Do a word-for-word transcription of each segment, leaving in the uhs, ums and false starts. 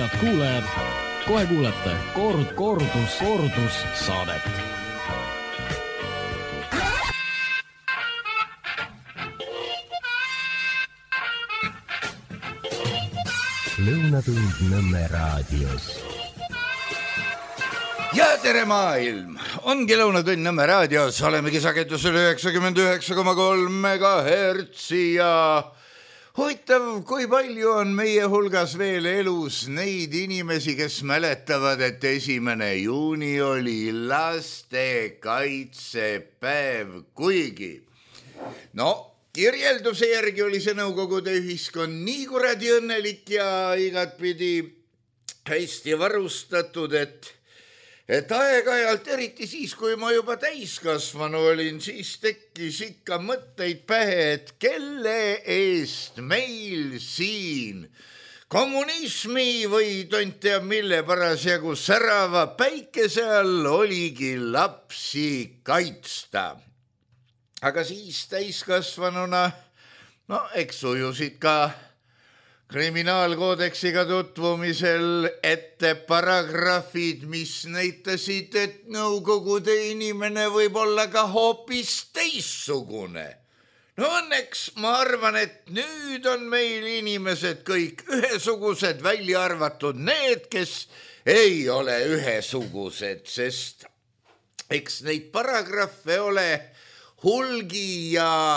Head kuulajad, kohe kuulete kord, kordus, kordus saadet. Lõunatund Nõmme raadios. Ja tere maailm! Ongi Lõunatund Nõmme raadios. Olemegi sagedusel üheksakümmend üheksa koma kolm megahertsi ja huvitav, kui palju on meie hulgas veel elus neid inimesi, kes mäletavad, et esimene juuni oli lastekaitsepäev, kuigi no kirjelduse järgi oli see Nõukogude ühiskond nii kuradi õnnelik ja igatpidi hästi varustatud, et, et aeg-ajalt, eriti siis, kui ma juba täiskasvanu olin, siis tekkis ikka mõtteid pähe, et kelle eest meil siin kommunismi või tont teab mille parasjagu särava päikese all oligi lapsi kaitsta. Aga siis täiskasvanuna, no eks ujusid ka kriminaalkoodeksiga tutvumisel ette paragrahvid, mis näitasid, et Nõukogude inimene võib olla ka hoopis teissugune. No õnneks ma arvan, et nüüd on meil inimesed kõik ühesugused, välja arvatud need, kes ei ole ühesugused, sest eks neid paragrahve ole hulgi ja,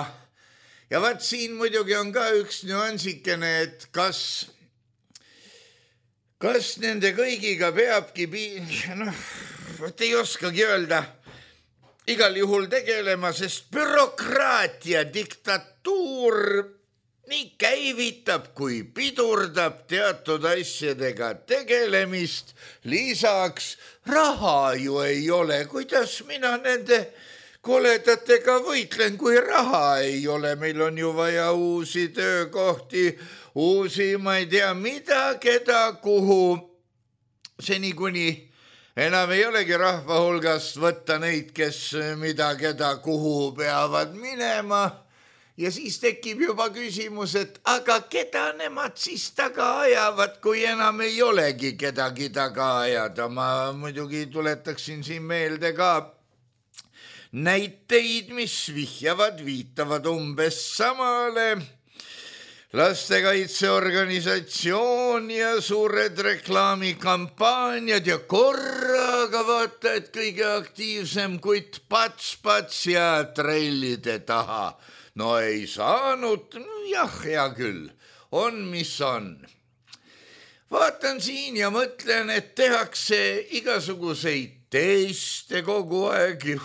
ja vaat siin muidugi on ka üks nüansikene, et kas, kas nende kõigiga peabki, noh, ei oskagi öelda, igal juhul tegelema, sest bürokraatia, diktatuur nii käivitab kui pidurdab teatud asjadega tegelemist, lisaks raha ju ei ole, kuidas mina nende koledatega võitlen, kui raha ei ole. Meil on ju vaja uusi töökohti, uusi, ma ei tea mida, keda, kuhu. Seni kuni enam ei olegi rahva hulgast võtta neid, kes mida, keda, kuhu peavad minema. Ja siis tekib juba küsimus, et aga keda nemad siis taga ajavad, kui enam ei olegi kedagi taga ajada. Ma muidugi tuletaksin siin meelde ka näiteid, mis vihjavad, viitavad umbes samale. Lastekaitseorganisatsioon ja suured reklaamikampaaniad ja korraga vaata, et kõige aktiivsem kutt pats-pats ja trellide taha. No ei saanud, no jah, hea küll, on mis on. Vaatan siin ja mõtlen, et tehakse igasuguseid teste kogu aeg.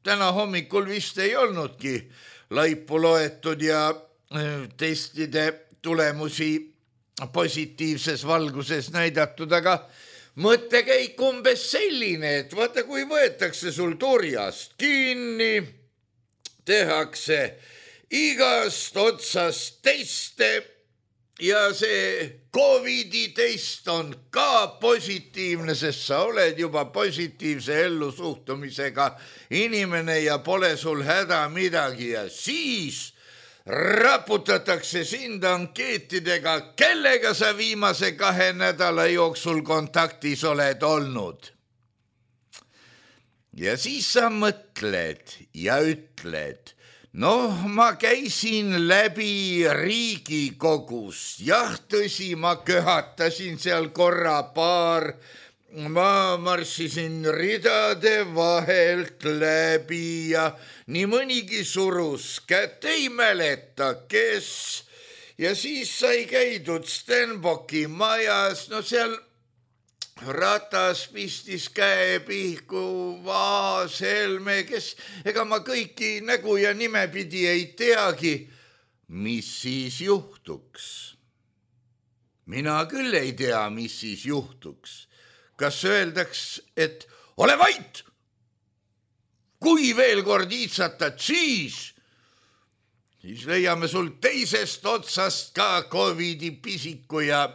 Täna hommikul vist ei olnudki laipu loetud ja testide tulemusi positiivses valguses näidatud, aga mõttekäik umbes selline, et vaata, kui võetakse sul turjast kinni, tehakse igast otsast teste ja see Covidi test on ka positiivne, sest sa oled juba positiivse ellusuhtumisega inimene ja pole sul häda midagi ja siis raputatakse sind ankeetidega, kellega sa viimase kahe nädala jooksul kontaktis oled olnud. Ja siis sa mõtled ja ütled, noh, ma käisin läbi Riigikogus, jah, tõsi, ma köhatasin seal korra paar, ma marssisin ridade vahelt läbi ja nii mõnigi surus kätt, ei mäleta, kes. Ja siis sai käidud Stenbocki majas, no seal Ratas pistis käe pihku, Vaas, Helme, kes, ega ma kõiki nägu ja nimepidi ei teagi, mis siis juhtuks. Mina küll ei tea, mis siis juhtuks. Kas öeldaks, et ole vait, kui veel kord iitsatad, siis, siis leiame sul teisest otsast ka Covidi pisiku ja,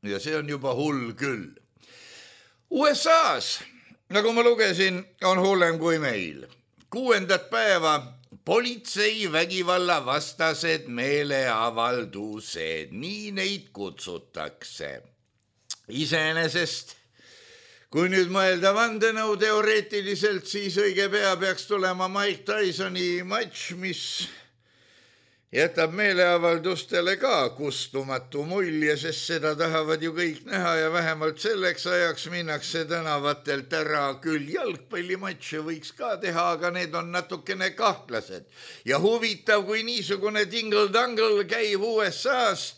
ja see on juba hull küll. U S A-s, nagu ma lugesin, on hullem kui meil. Kuuendat päeva politsei vägivalla vastased meeleavaldused, nii neid kutsutakse. iseenesest, kui nüüd mõelda vandenõu teoreetiliselt, siis õige pea peaks tulema Mike Tysoni matš, mis jätab meeleavaldustele ka kustumatu mulje, sest seda tahavad ju kõik näha ja vähemalt selleks ajaks minnakse tänavatelt ära. Küll jalgpallimatše võiks ka teha, aga need on natukene kahtlased. Ja huvitav, kui niisugune tingle-dangle käib U S A-s,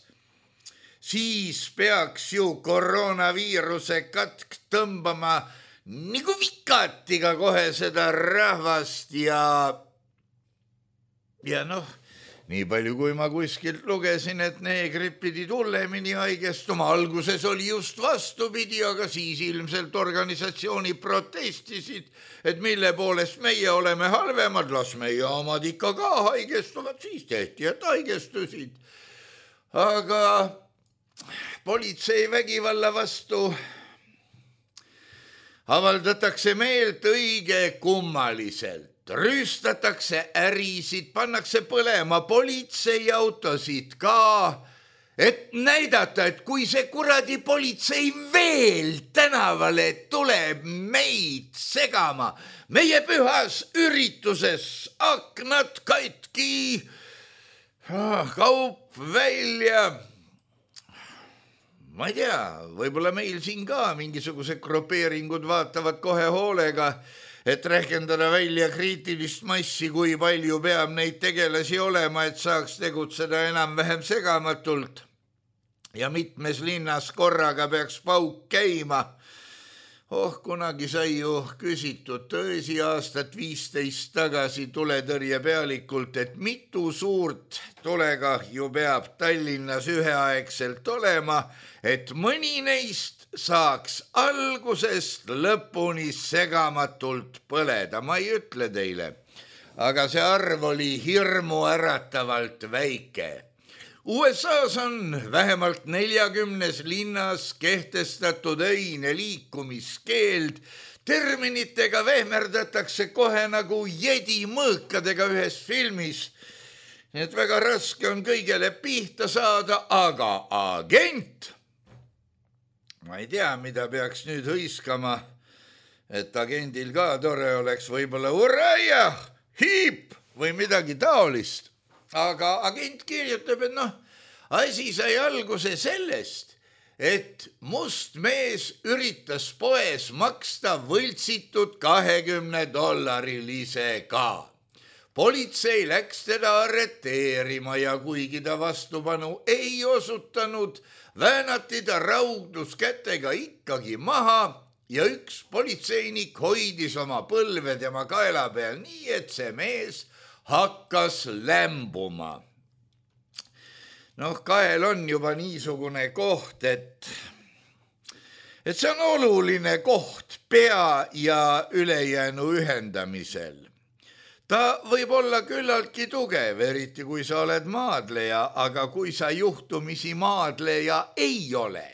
siis peaks ju koroonaviiruse katk tõmbama nagu vikatiga kohe seda rahvast ja, ja noh, nii palju, kui ma kuskilt lugesin, et neegrid pidid hullemini haigestuma. Alguses oli just vastupidi, aga siis ilmselt organisatsiooni protestisid, et mille poolest meie oleme halvemad, las meie omad ikka ka haigestuvad, siis tehti, et haigestusid. Aga politsei vägivalla vastu avaldatakse meelt õige kummaliselt. Rüüstatakse ärisid, pannakse põlema politseiautosid ka, et näidata, et kui see kuradi politsei veel tänavale tuleb meid segama, meie pühas ürituses, aknad katki, kaup välja. Ma ei tea, võib-olla meil siin ka mingisugused grupeeringud vaatavad kohe hoolega, et rehkendada välja kriitilist massi, kui palju peab neid tegelasi olema, et saaks tegutseda enam-vähem segamatult. Ja mitmes linnas korraga peaks pauk käima. Oh, kunagi sai ju küsitud tõesi aastat viisteist tagasi tuletõrje pealikult, et mitu suurt tulekahju peab Tallinnas üheaegselt olema, et mõni neist saaks algusest lõpuni segamatult põleda. Ma ei ütle teile, aga see arv oli hirmu äratavalt väike. U S A-s on vähemalt neljakümnes linnas kehtestatud öine liikumiskeeld. Terminitega vehmerdatakse kohe nagu jedi mõõkadega ühes filmis. Nii et väga raske on kõigele pihta saada, aga agent, ma ei tea, mida peaks nüüd hõiskama, et agendil ka tore oleks võib-olla uraia, hiip või midagi taolist. Aga agent kirjutab, et noh, asi sai alguse sellest, et must mees üritas poes maksta võltsitud kahekümne dollarilise ka. Politsei läks teda arreteerima ja kuigi ta vastupanu ei osutanud, väänati ta raudus kätega ikkagi maha ja üks politseinik hoidis oma põlve tema kaela peal nii, et see mees hakkas lämbuma. Noh, kael on juba niisugune koht, et, et see on oluline koht pea ja ülejäänu ühendamisel. Ta võib olla küllaltki tugev, eriti kui sa oled maadleja, aga kui sa juhtumisi maadleja ei ole,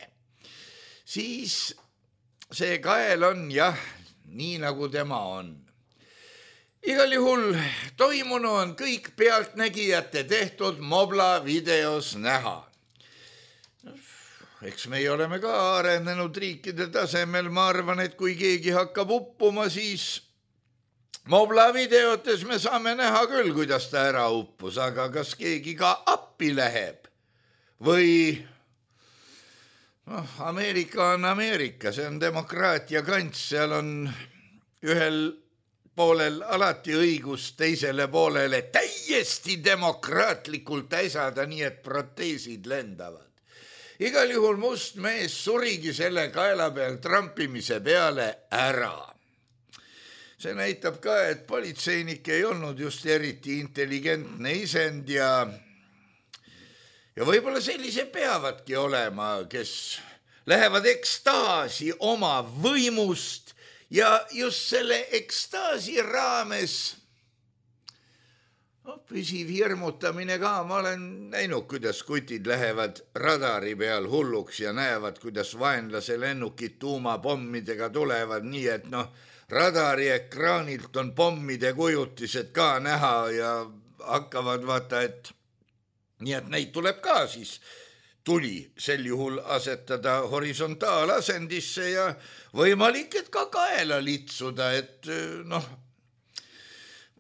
siis see kael on jah, nii nagu tema on. Igal juhul toimunu on kõik pealtnägijate tehtud Mobla videos näha. Eks meie oleme ka arenenud riikide tasemel, ma arvan, et kui keegi hakkab uppuma, siis Mobla videotes me saame näha küll, kuidas ta ära uppus, aga kas keegi ka appi läheb? Või noh, Ameerika on Ameerika, see on demokraatia kants, seal on ühel poolel alati õigus teisele poolele täiesti demokraatlikult äsada, nii et proteesid lendavad. Igal juhul must mees surigi selle kaela peal trampimise peale ära. See näitab ka, et politseinik ei olnud just eriti intelligentne isend ja, ja võib-olla sellise peavadki olema, kes lähevad ekstaasi oma võimust ja just selle ekstaasi raames no, püsiv hirmutamine ka. Ma olen näinud, kuidas kutid lähevad radari peal hulluks ja näevad, kuidas vaenlase lennukid tuumapommidega tulevad nii, et noh, radari ekraanilt on pommide kujutised ka näha ja hakkavad vaata, et nii, et neid tuleb ka siis tuli sel juhul asetada horisontaalasendisse ja võimalik, et ka kaela litsuda, et noh,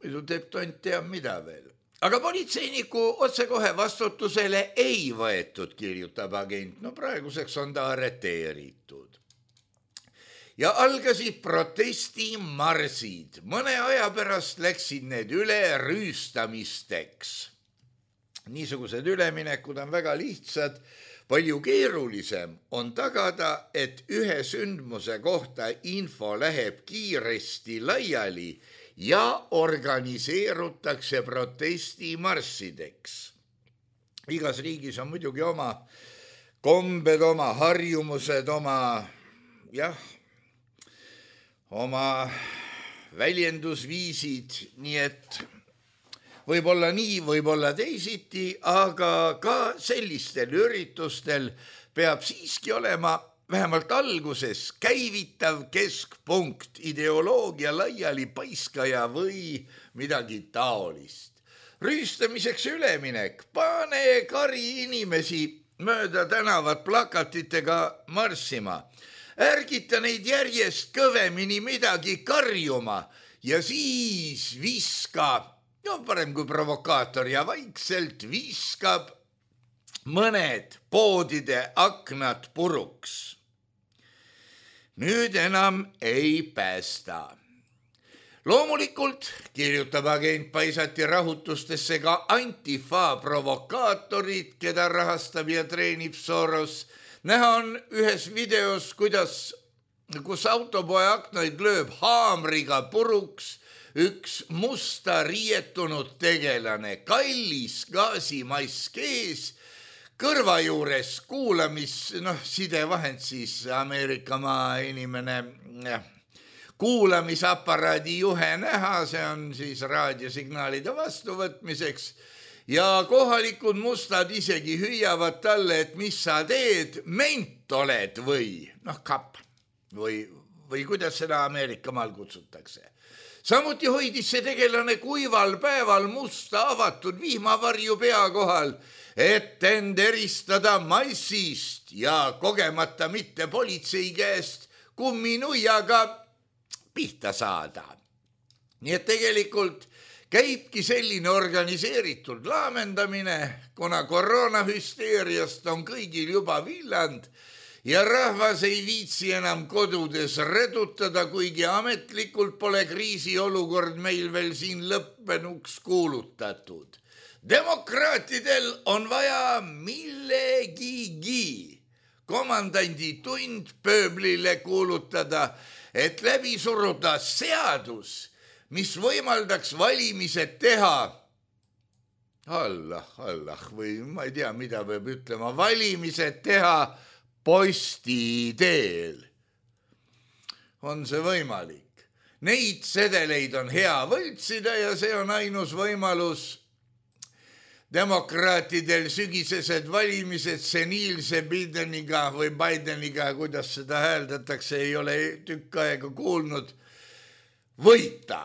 muidu teeb tont teab mida veel. Aga politseiniku otsekohe vastutusele ei võetud, kirjutab agent. No praeguseks on ta arreteeritud. Ja algasid protestimarsid. Mõne aja pärast läksid need üle rüüstamisteks. Niisugused üleminekud on väga lihtsad. Palju keerulisem on tagada, et ühe sündmuse kohta info läheb kiiresti laiali ja organiseerutakse protestimarssideks. Igas riigis on muidugi oma kombed, oma harjumused, oma, jah, oma väljendusviisid, nii et võib-olla nii, võib-olla teisiti, aga ka sellistel üritustel peab siiski olema vähemalt alguses käivitav keskpunkt, ideoloogia laiali paiskaja või midagi taolist. Rüüstamiseks üleminek, pane kari inimesi mööda tänavat plakatitega marssima, ärgita neid järjest kõvemini midagi karjuma ja siis viska, no parem kui provokaator ja vaikselt viskab mõned poodide aknad puruks. Nüüd enam ei päästa. Loomulikult, kirjutab agent, paisati rahutustesse ka Antifa provokaatorid, keda rahastab ja treenib Soros. Näha on ühes videos, kuidas, kus autopoe aknaid lööb haamriga puruks üks musta riietunud tegelane, kallis gaasimask ees, kõrva juures kuulamis, noh, sidevahend siis Ameerika maa inimene, kuulamisaparaadi juhe näha, see on siis raadiosignaalide vastuvõtmiseks ja kohalikud mustad isegi hüüavad talle, et mis sa teed, ment oled või, noh, kapp või, või kuidas seda Ameerika maal kutsutakse. Samuti hoidis see tegelane kuival päeval musta avatud vihmavarju pea kohal, et end eristada massist ja kogemata mitte politsei käest kumminuiaga pihta saada. Nii et tegelikult käibki selline organiseeritud laamendamine, kuna koroonahüsteeriast on kõigil juba villand ja rahvas ei viitsi enam kodudes redutada, kuigi ametlikult pole kriisiolukord meil veel siin lõppenuks kuulutatud. Demokraatidel on vaja millegigi komandandi tund pööblile kuulutada, et läbi suruda seadus, mis võimaldaks valimised teha. Allah, Allah, või ma ei tea, mida peab ütlema, valimised teha posti teel. On see võimalik? Neid sedeleid on hea võltsida ja see on ainus võimalus demokraatidel sügisesed valimised seniilse Bideniga või Bideniga, kuidas seda hääldatakse, ei ole tükk aega kuulnud, võita.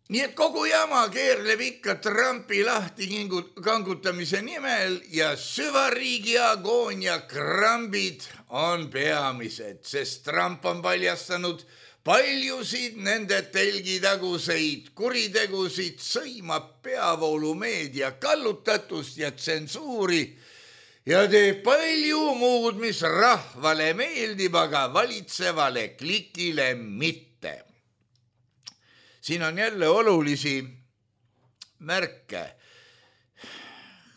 Nii et kogu jama keerleb ikka Trumpi lahti kangutamise nimel ja süvariigi agoonia krambid on peamised, sest Trump on paljastanud paljusid nende telgitaguseid kuritegusid, sõimab peavoolumeedia kallutatust ja tsensuuri ja teeb palju muud, mis rahvale meeldib, aga valitsevale klikile mitte. Siin on jälle olulisi märke.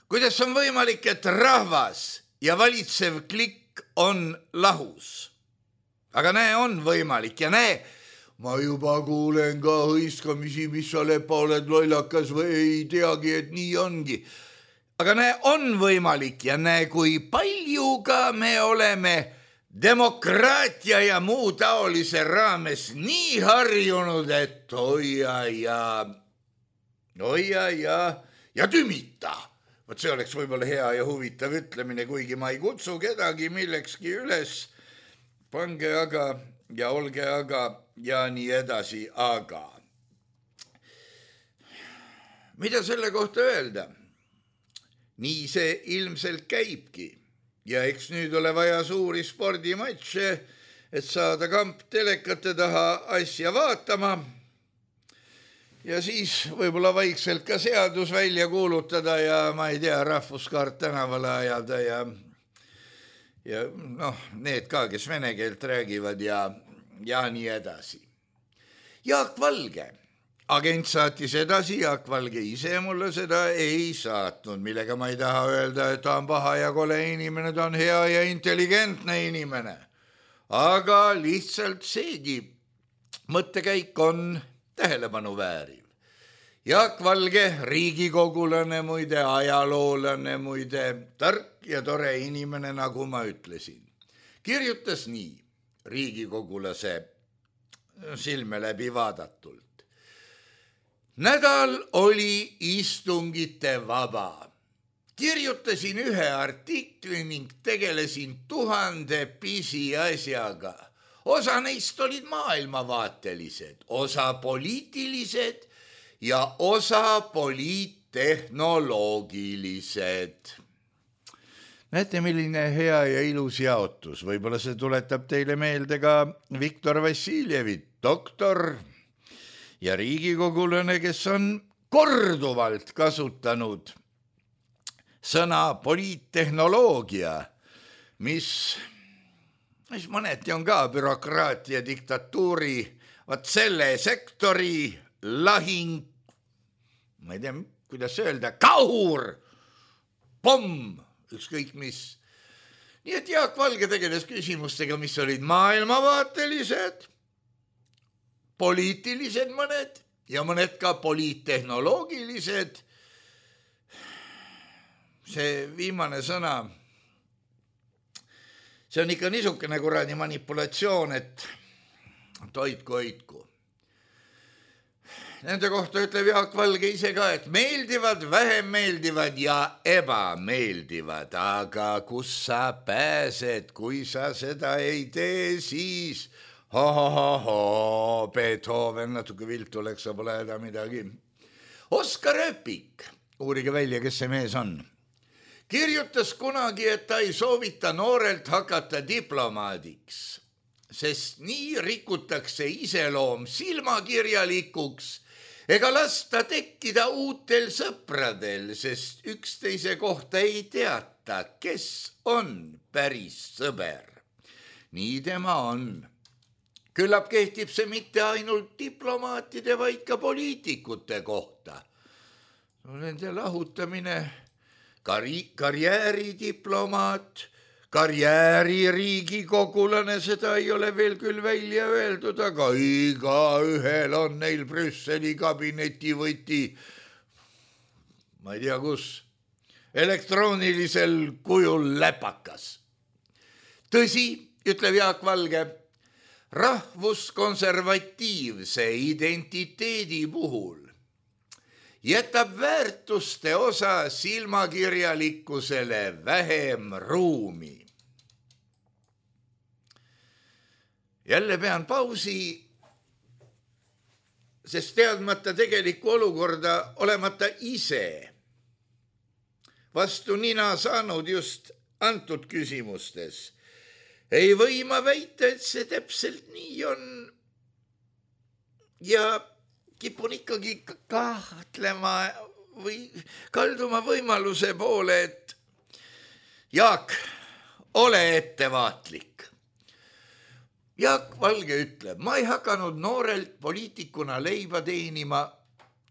Kuidas on võimalik, et rahvas ja valitsev klikk on lahus? Aga näe, on võimalik ja näe, ma juba kuulen ka hõiskamisi, mis sa lepa oled lollakas või ei teagi, et nii ongi. Aga näe, on võimalik ja näe, kui palju ka me oleme demokraatia ja muu taolise raames nii harjunud, et oia ja, oia ja, ja tümita. Võt see oleks võib-olla hea ja huvitav ütlemine, kuigi ma ei kutsu kedagi millekski üles. Pange aga ja olge aga ja nii edasi, aga. Mida selle kohta öelda? Nii see ilmselt käibki. ja eks nüüd ole vaja suuri spordimatše, et saada kamp telekate taha asja vaatama ja siis võib-olla vaikselt ka seadus välja kuulutada ja ma ei tea, rahvuskaart tänavale ajada ja ja noh, need ka, kes vene keelt räägivad ja, ja nii edasi. Jaak Valge, agent saatis edasi, Jaak Valge ise mulle seda ei saatnud, millega ma ei taha öelda, et ta on paha ja kole inimene, ta on hea ja intelligentne inimene. Aga lihtsalt seegi mõttekäik on tähelepanu vääriv. Jaak Valge, riigikogulane muide, ajaloolane muide, tark ja tore inimene, nagu ma ütlesin. Kirjutas nii riigikogulase silme läbi vaadatult. Nädal oli istungite vaba. Kirjutasin ühe artikli ning tegelesin tuhande pisiasjaga. Osa neist olid maailmavaatelised, osa poliitilised ja osa poliittehnoloogilised. Näete, milline hea ja ilus jaotus. Võib-olla see tuletab teile meelde ka Viktor Vassiljevit, doktor ja riigikogulane, kes on korduvalt kasutanud sõna poliittehnoloogia, mis, mis mõneti on ka bürokraatia, diktatuuri, vaat selle sektori lahing, ma ei tea, kuidas öelda, kahur, pomm, ükskõik mis. Nii et Jaak Valge tegeles küsimustega, mis olid maailmavaatelised, poliitilised mõned ja mõned ka poliittehnoloogilised. See viimane sõna, see on ikka niisugune kuradi manipulatsioon, et toitku hoidku. Nende kohta ütleb Jaak Valge ise ka, et meeldivad, vähem meeldivad ja ebameeldivad, aga kus sa pääsed, kui sa seda ei tee, siis ho-ho-ho, Beethoven, natuke viltu läks, sa pole häda midagi. Oskar Öpik, uurige välja, kes see mees on, kirjutas kunagi, et ta ei soovita noorelt hakata diplomaadiks, sest nii rikutakse iseloom silmakirjalikuks ega lasta tekkida uutel sõpradel, sest üksteise kohta ei teata, kes on päris sõber. Nii tema on. Küllap kehtib see mitte ainult diplomaatide, vaid ka poliitikute kohta. Nende lahutamine, kari, karjääridiplomaat, karjääri riigikogulane, seda ei ole veel küll välja öeldud, aga iga ühel on neil Brüsseli kabineti võti, ma ei tea kus, elektroonilisel kujul läpakas. Tõsi, ütleb Jaak Valge, rahvuskonservatiivse identiteedi puhul jätab väärtuste osa silmakirjalikkusele vähem ruumi. Jälle pean pausi, sest teadmata tegelikku olukorda, olemata ise vastu nina saanud just antud küsimustes, ei või ma väita, et see täpselt nii on ja kipun ikkagi kahtlema või kalduma võimaluse poole, et Jaak, ole ettevaatlik. Jaak Valge ütleb, ma ei hakanud noorelt poliitikuna leiba teenima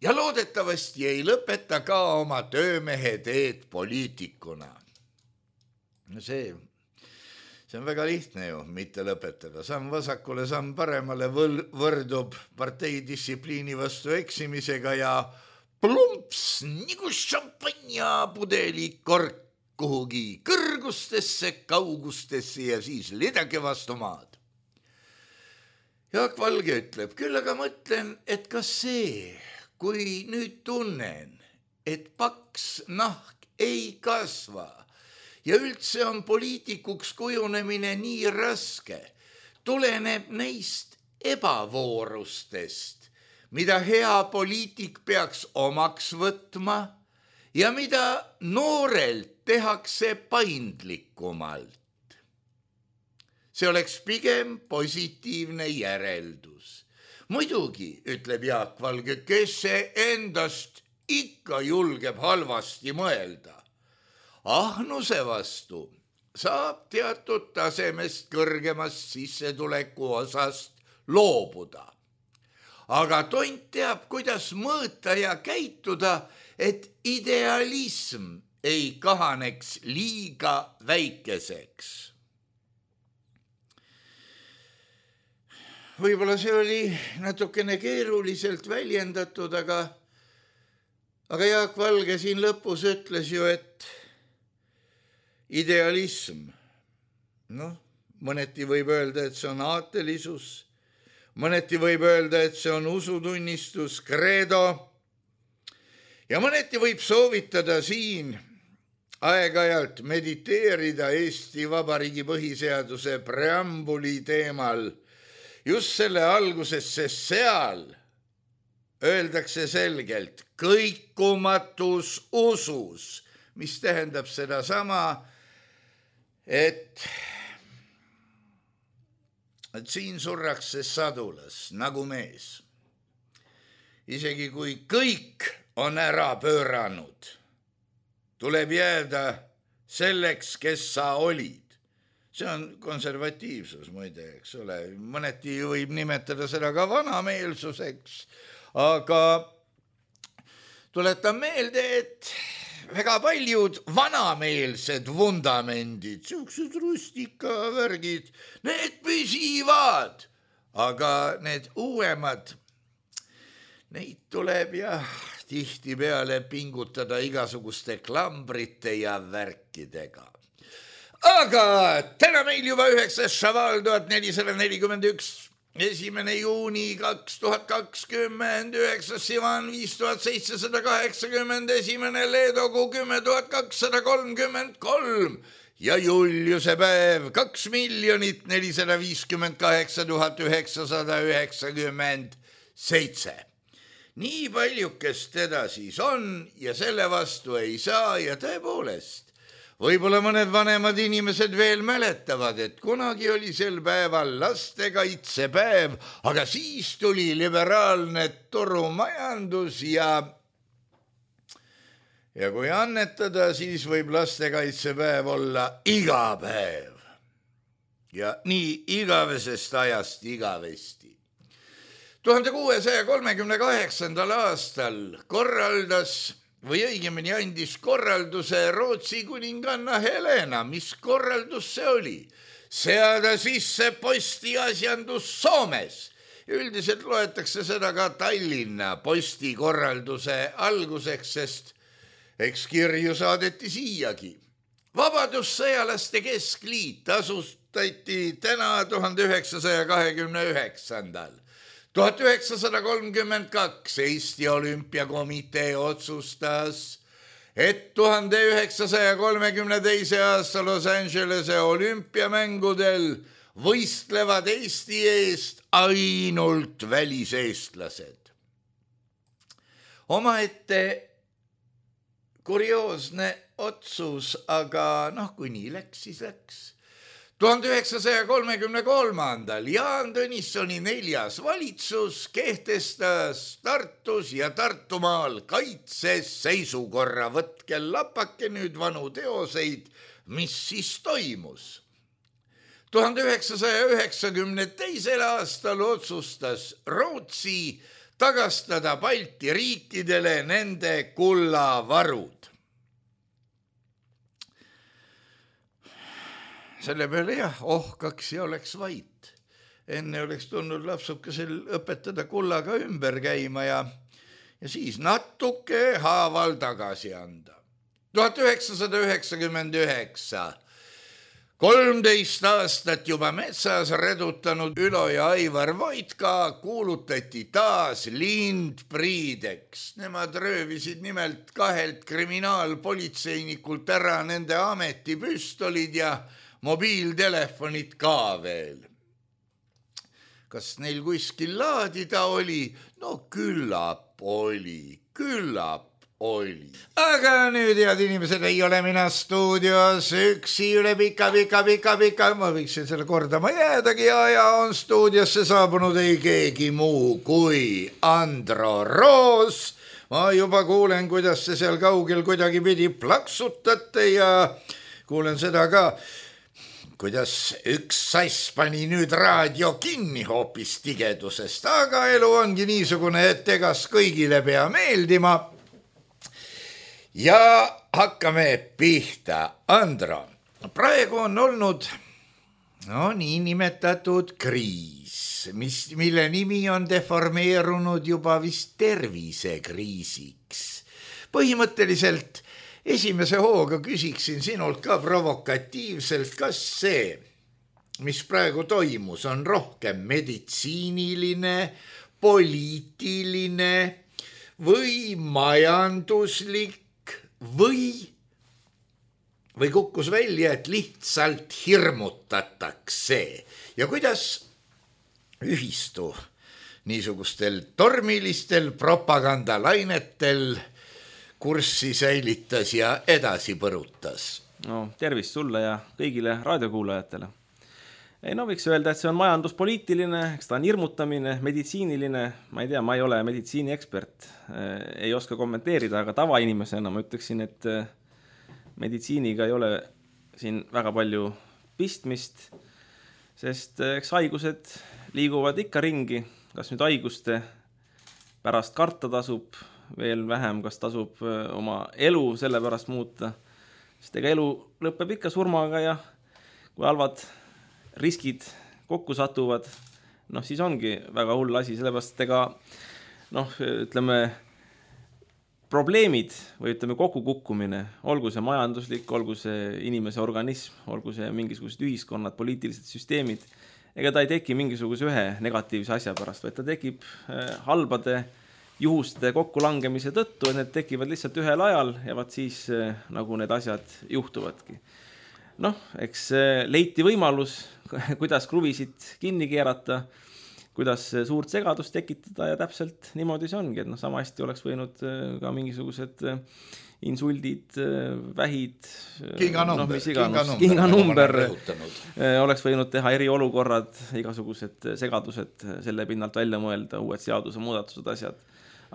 ja loodetavasti ei lõpeta ka oma töömehe teed poliitikuna. No see, see on väga lihtne ju, mitte lõpetada. Samm vasakule, samm paremale võrdub parteidistsipliini vastu eksimisega ja plumps, nagu šampanja pudeli kork kuhugi kõrgustesse, kaugustesse ja siis lidake vastu maad. Jaak Valge ütleb, küll aga mõtlen, et kas see, kui nüüd tunnen, et paks nahk ei kasva ja üldse on poliitikuks kujunemine nii raske, tuleneb neist ebavoorustest, mida hea poliitik peaks omaks võtma ja mida noorelt tehakse paindlikumalt. See oleks pigem positiivne järeldus. Muidugi, ütleb Jaak Valge, kes see endast ikka julgeb halvasti mõelda. Ahnuse vastu saab teatud tasemest kõrgemast sissetuleku osast loobuda. Aga tont teab, kuidas mõõta ja käituda, et idealism ei kahaneks liiga väikeseks. Võib-olla see oli natukene keeruliselt väljendatud, aga, aga Jaak Valge siin lõpus ütles ju, et idealism, noh, mõneti võib öelda, et see on aatelisus, mõneti võib öelda, et see on usutunnistus, credo, ja mõneti võib soovitada siin aeg-ajalt mediteerida Eesti Vabariigi põhiseaduse preambuli teemal, just selle alguses, sest seal öeldakse selgelt kõikumatus usus, mis tähendab seda sama, et, et siin surrakse sadulas nagu mees. Isegi kui kõik on ära pööranud, tuleb jääda selleks, kes sa olid. See on konservatiivsus, muide, eks ole. Mõneti võib nimetada seda ka vanameelsuseks, aga tuletan meelde, et väga paljud vanameelsed vundamendid, siuksed rustikavärgid, need püsivad, aga need uuemad, neid tuleb jah tihtipeale pingutada igasuguste klambrite ja värkidega. Aga täna meil juba üheksas šaval tuhat nelisada nelikümmend üks, esimene juuni kaks tuhat kakskümmend, üheksas sivan viis tuhat seitsesada kaheksakümmend, esimene leedokuu kümme tuhat kakssada kolmkümmend kolm ja Juliuse päev kaks miljonit nelisada viiskümmend kaheksa tuhat üheksasada üheksakümmend seitse. Nii paljukest teda siis on ja selle vastu ei saa ja tõepoolest, võib-olla mõned vanemad inimesed veel mäletavad, et kunagi oli sel päeval lastekaitsepäev, aga siis tuli liberaalne turumajandus ja, ja kui annetada, siis võib lastekaitsepäev olla iga päev. Ja nii igavesest ajast igavesti. tuhande kuuesaja kolmekümne kaheksandal aastal korraldas või õigemini andis korralduse Rootsi kuninganna Helena. Mis korraldus see oli? Seada sisse postiasjandus Soomes. Üldiselt loetakse seda ka Tallinna postikorralduse alguseks, sest eks kirju saadeti siiagi. Vabadussõjalaste keskliit asustati täna tuhande üheksasaja kahekümne üheksandal. tuhat üheksasada kolmkümmend kaks Eesti Olümpiakomitee otsustas, et tuhande üheksasaja kolmekümne teise aasta Los Angelese olümpiamängudel võistlevad Eesti eest ainult väliseestlased. Omaette kurioosne otsus, aga noh, kui nii läks, siis läks. tuhande üheksasaja kolmekümne kolmandal Jaan Tõnissoni neljas valitsus kehtestas Tartus ja Tartumaal kaitseseisukorra. Võtke lapake nüüd vanu teoseid, mis siis toimus. tuhande üheksasaja üheksakümne teisel aastal otsustas Rootsi tagastada Balti riikidele nende kullavarud. Selle peale jah, ohkaks ja oleks vait. Enne oleks tulnud lapsukesel õpetada kullaga ümber käima ja, ja siis natuke haaval tagasi anda. tuhat üheksasada üheksakümmend üheksa. kolmteist aastat juba metsas redutanud Ülo ja Aivar Voitka kuulutati taas lindpriideks. Nemad röövisid nimelt kahelt kriminaalpolitseinikult ära nende ametipüstolid ja mobiiltelefonid ka veel. Kas neil kuskil laadida oli? No küllap oli, küllap oli. Aga nüüd, head inimesed, ei ole mina stuudios üksi üle pika, pika, pika, pika, ma võiksin selle kordama jäädagi ja, ja on stuudiosse saabunud ei keegi muu kui Andro Roos. Ma juba kuulen, kuidas te seal kaugel kuidagi pidi plaksutate ja kuulen seda ka, kuidas üks sass pani nüüd raadio kinni hoopis tigedusest, aga elu ongi niisugune, et egas kõigile pea meeldima. Ja hakkame pihta. Andro, praegu on olnud no, niinimetatud kriis, mis, mille nimi on deformeerunud juba vist tervisekriisiks. Põhimõtteliselt esimese hooga küsiksin sinult ka provokatiivselt, kas see, mis praegu toimus, on rohkem meditsiiniline, poliitiline või majanduslik või, või kukkus välja, et lihtsalt hirmutatakse ja kuidas ühistu niisugustel tormilistel propagandalainetel kurssi säilitas ja edasi põrutas. No, tervist sulle ja kõigile raadiokuulajatele. Ei, no võiks öelda, et see on majanduspoliitiline, eks ta on hirmutamine, meditsiiniline, ma ei tea, ma ei ole meditsiiniekspert, ei oska kommenteerida, aga tavainimesena ma ütleksin, et meditsiiniga ei ole siin väga palju pistmist, sest eks haigused liiguvad ikka ringi, kas nüüd haiguste pärast karta tasub, veel vähem, kas tasub oma elu selle pärast muuta, sest ega elu lõpeb ikka surmaga ja kui halvad riskid kokku satuvad, noh siis ongi väga hull asi, sellepärast ega noh, ütleme probleemid või ütleme kokkukukkumine, olgu see majanduslik, olgu see inimese organism, olgu see mingisugused ühiskonnad, poliitilised süsteemid, ega ta ei teki mingisuguse ühe negatiivse asja pärast, vaid ta tekib halbade juhuste kokkulangemise tõttu, et need tekivad lihtsalt ühel ajal ja vaat siis nagu need asjad juhtuvadki. Noh, eks leiti võimalus, kuidas kruvisid kinni keerata, kuidas suurt segadust tekitada ja täpselt niimoodi see ongi, et noh, sama hästi oleks võinud ka mingisugused insuldid, vähid, kinganumber, no, mis iganes, kinganumber, oleks võinud teha eriolukorrad, igasugused segadused selle pinnalt välja mõelda, uued seaduse muudatused, asjad.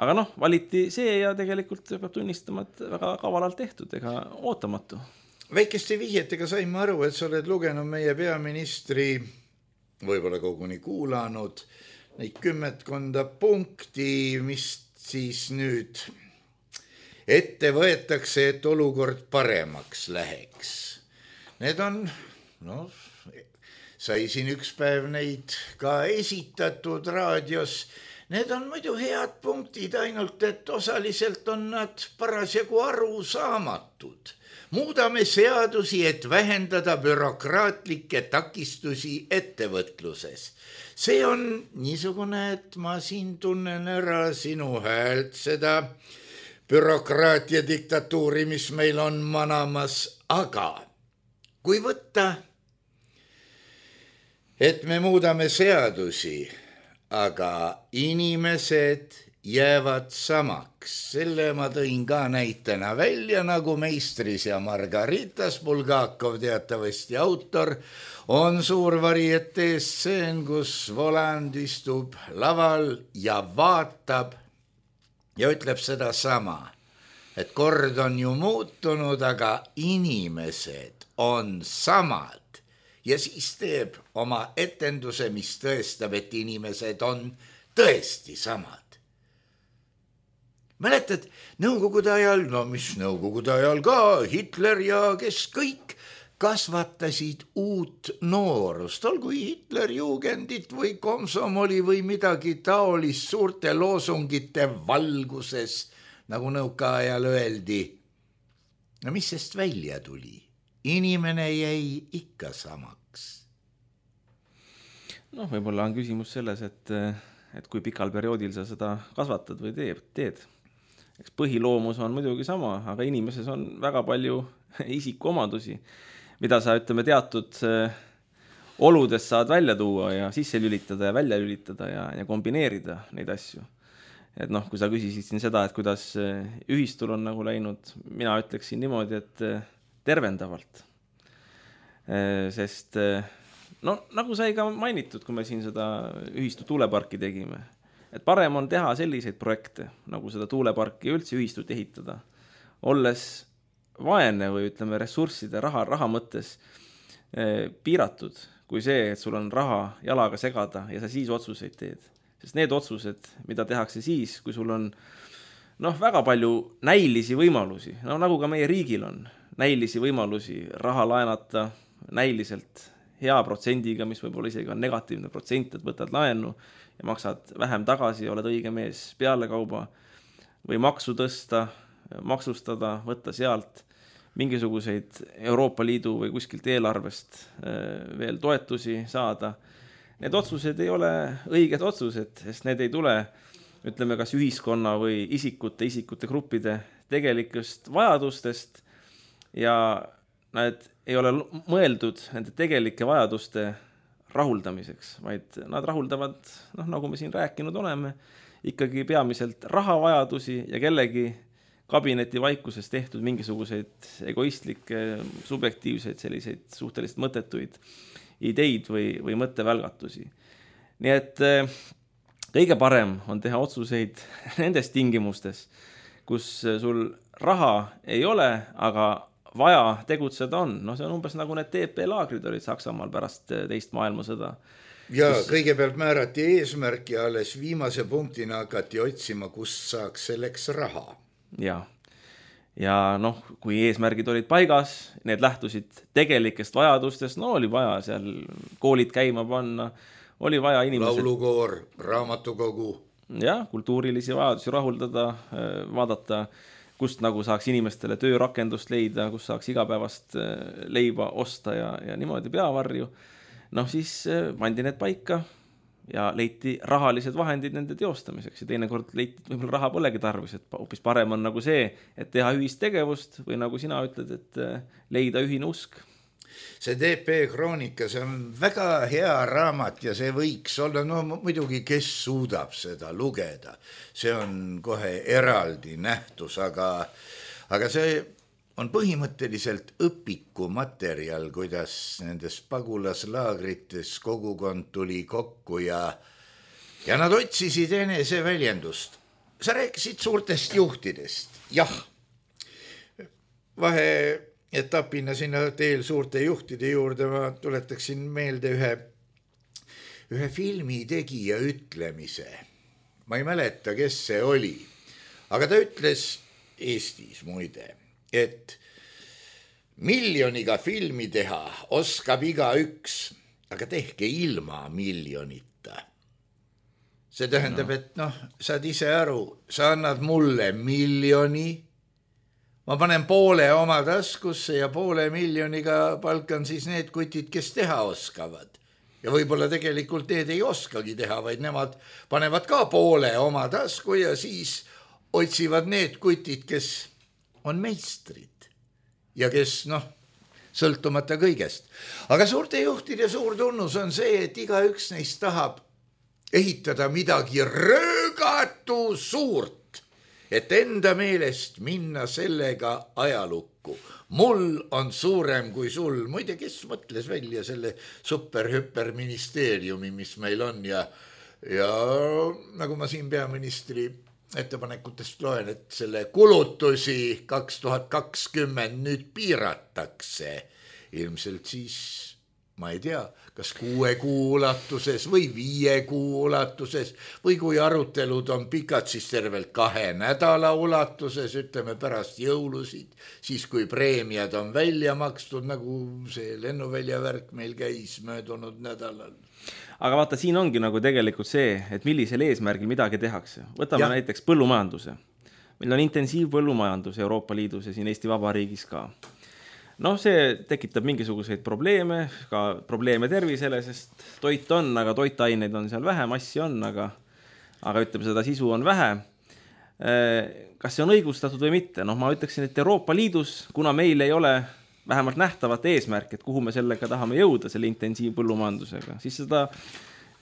Aga noh, valiti see ja tegelikult peab tunnistama, et väga kavalalt tehtud ega ootamatu. Väikeste vihjetega sain ma aru, et sa oled lugenud meie peaministri, võib-olla koguni kuulanud, neid kümmetkonda punkti, mis siis nüüd ette võetakse, et olukord paremaks läheks. Need on, no, sai siin üks päev neid ka esitatud raadios. Need on muidu head punktid, ainult et osaliselt on nad parasjagu arusaamatud. Muudame seadusi, et vähendada bürokraatlikke takistusi ettevõtluses. See on niisugune, et ma siin tunnen ära sinu häält seda bürokraatia diktatuuri, mis meil on manamas, aga kui võtta, et me muudame seadusi, aga inimesed jäävad samaks. Selle ma tõin ka näitena välja, nagu Meistris ja Margaritas, Bulgakov teatavasti autor, on suur varietee stseen, kus Voland istub laval ja vaatab ja ütleb seda sama, et kord on ju muutunud, aga inimesed on samad. Ja siis teeb oma etenduse, mis tõestab, et inimesed on tõesti samad. Mäletad, nõukogude ajal, no mis nõukogude ajal ka, Hitler ja kes kõik kasvatasid uut noorust, olgu Hitlerjugendit või komsomoli või midagi taolist suurte loosungite valguses, nagu nõukaajal öeldi. No mis sest välja tuli? Inimene jäi ikka samaks. noh, võib-olla on küsimus selles, et, et kui pikal perioodil sa seda kasvatad või teed, teed. Eks põhiloomus on muidugi sama, aga inimeses on väga palju isikuomadusi, mida sa ütleme teatud oludes saad välja tuua ja sisse lülitada ja välja lülitada ja, ja kombineerida neid asju. et noh, kui sa küsisid siin seda, et kuidas ühistul on nagu läinud, mina ütleksin niimoodi, et tervendavalt. Sest no nagu sai ka mainitud, kui me siin seda ühistu tuuleparki tegime, et parem on teha selliseid projekte, nagu seda tuuleparki üldse ühistut ehitada, olles vaene või ütleme ressursside raha, raha mõttes piiratud, kui see, et sul on raha jalaga segada ja sa siis otsuseid teed. Sest need otsused, mida tehakse siis, kui sul on noh, väga palju näilisi võimalusi, no nagu ka meie riigil on, näilisi võimalusi raha laenata näiliselt hea protsendiga, mis võib-olla isegi on negatiivne protsent, et võtad laenu ja maksad vähem tagasi, oled õige mees peale kauba või maksu tõsta, maksustada, võtta sealt mingisuguseid Euroopa Liidu või kuskilt eelarvest veel toetusi saada. Need otsused ei ole õiged otsused, sest need ei tule, ütleme, kas ühiskonna või isikute, isikute gruppide tegelikust vajadustest ja nad ei ole mõeldud nende tegelike vajaduste rahuldamiseks, vaid nad rahuldavad, noh, nagu me siin rääkinud oleme, ikkagi peamiselt rahavajadusi ja kellegi kabineti vaikuses tehtud mingisuguseid egoistlikke, subjektiivseid, selliseid suhteliselt mõttetuid ideid või, või mõttevälgatusi. Nii et kõige parem on teha otsuseid nendes tingimustes, kus sul raha ei ole, aga vaja tegutseda on. No see on umbes nagu need T P laagrid olid Saksamaal pärast teist maailmasõda. Ja kus... kõigepealt määrati eesmärk ja alles viimase punktina hakati otsima, kust saaks selleks raha. Ja. Ja noh, kui eesmärgid olid paigas, need lähtusid tegelikest vajadustest, no oli vaja seal koolid käima panna, oli vaja inimesed... Laulukoor, raamatukogu. Ja, kultuurilisi vajadusi rahuldada, vaadata, kust nagu saaks inimestele töörakendust leida, kus saaks igapäevast leiba osta ja, ja niimoodi peavarju. Noh, siis pandi need paika ja leiti rahalised vahendid nende teostamiseks ja teinekord leiti, et võib-olla raha polegi tarvis, et hoopis parem on nagu see, et teha ühist tegevust või nagu sina ütled, et leida ühine usk. See T P Kroonika, see on väga hea raamat ja see võiks olla, no muidugi, kes suudab seda lugeda. See on kohe eraldi nähtus, aga, aga see on põhimõtteliselt õpiku materjal, kuidas nendes pagulaslaagrites kogukond tuli kokku ja, ja nad otsisid enese väljendust. Sa rääkisid suurtest juhtidest. Jah, vaheetapina sinna teel suurte juhtide juurde ma tuletaksin meelde ühe, ühe filmi tegija ütlemise. Ma ei mäleta, kes see oli, aga ta ütles Eestis muide, et miljoniga filmi teha oskab iga üks, aga tehke ilma miljonita. See tähendab, no. et noh, saad ise aru, sa annad mulle miljoni, ma panen poole oma taskusse ja poole miljoniga palkan siis need kutid, kes teha oskavad. Ja võib-olla tegelikult need ei oskagi teha, vaid nemad panevad ka poole oma tasku ja siis otsivad need kutid, kes on meistrid ja kes, noh, sõltumata kõigest. Aga suurte juhtide suur tunnus on see, et iga üks neist tahab ehitada midagi röögatu suurt, et enda meelest minna sellega ajalukku. Mul on suurem kui sul. Muide, kes mõtles välja selle super-hüperministeeriumi, mis meil on ja, ja nagu ma siin peaministri ettepanekutest loen, et selle kulutusi kaks tuhat kakskümmend nüüd piiratakse. Ilmselt siis, ma ei tea, kas kuue kuu ulatuses või viie kuu ulatuses või kui arutelud on pikad, siis tervelt kahe nädala ulatuses, ütleme pärast jõulusid, siis kui preemiad on välja makstud, nagu see lennuvälja värk meil käis möödunud nädalal. Aga vaata, siin ongi nagu tegelikult see, et millisel eesmärgil midagi tehakse. Võtame ja. näiteks põllumajanduse. Meil on intensiivpõllumajandus Euroopa Liidus ja siin Eesti Vabariigis ka. Noh, see tekitab mingisuguseid probleeme, ka probleeme tervisele, sest toit on, aga toitaineid on seal vähe, massi on, aga, aga ütleme, seda sisu on vähe. Kas see on õigustatud või mitte? Noh, ma ütleksin, et Euroopa Liidus, kuna meil ei ole vähemalt nähtavat eesmärk, et kuhu me sellega tahame jõuda, selle intensiivpõllumajandusega, siis seda,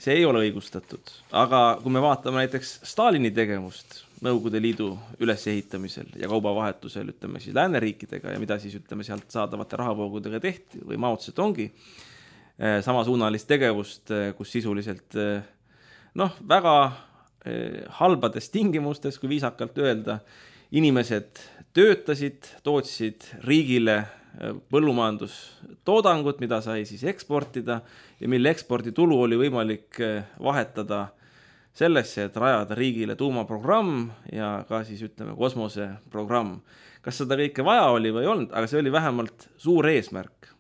see ei ole õigustatud. Aga kui me vaatame näiteks Stalini tegevust Nõukogude Liidu ülesehitamisel ja kaubavahetusel, ütleme siis lääneriikidega ja mida siis ütleme sealt saadavate rahavoogudega tehti või Mao Zedongi samasuunalist tegevust, kus sisuliselt noh, väga halbades tingimustes, kui viisakalt öelda, inimesed töötasid, tootsid riigile põllumajandustoodangut, mida sai siis eksportida ja mille eksporditulu oli võimalik vahetada sellesse, et rajada riigile tuumaprogramm ja ka siis ütleme kosmoseprogramm. Kas seda kõike vaja oli või ei olnud, aga see oli vähemalt suur eesmärk.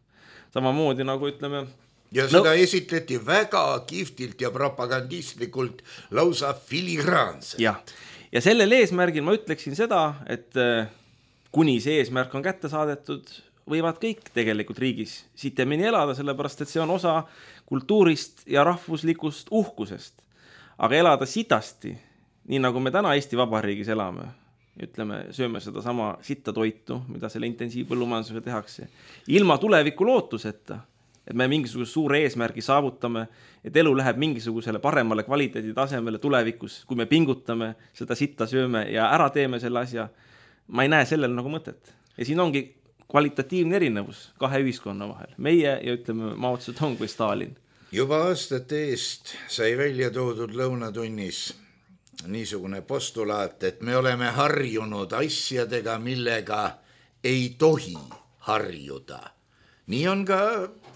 Samamoodi nagu ütleme... Ja seda no, esitleti väga kihvtilt ja propagandistlikult lausa filigraanselt. Ja, ja sellel eesmärgil ma ütleksin seda, et kuni see eesmärk on kätte saadetud, võivad kõik tegelikult riigis sitemini elada, sellepärast et see on osa kultuurist ja rahvuslikust uhkusest. Aga elada sitasti, nii nagu me täna Eesti Vabariigis elame, ütleme, sööme seda sama sitta toitu, mida selle intensiivpõllumajandusega tehakse, ilma tuleviku lootuseta, et me mingisuguse suure eesmärgi saavutame, et elu läheb mingisugusele paremale kvaliteedi tasemele tulevikus, kui me pingutame, seda sitta sööme ja ära teeme selle asja, ma ei näe sellel nagu mõtet. Ja siin ongi kvalitatiivne erinevus kahe ühiskonna vahel, meie ja ütleme Mao Zedong või Stalin. Juba aastate eest sai välja toodud lõunatunnis niisugune postulaat, et me oleme harjunud asjadega, millega ei tohi harjuda. Nii on ka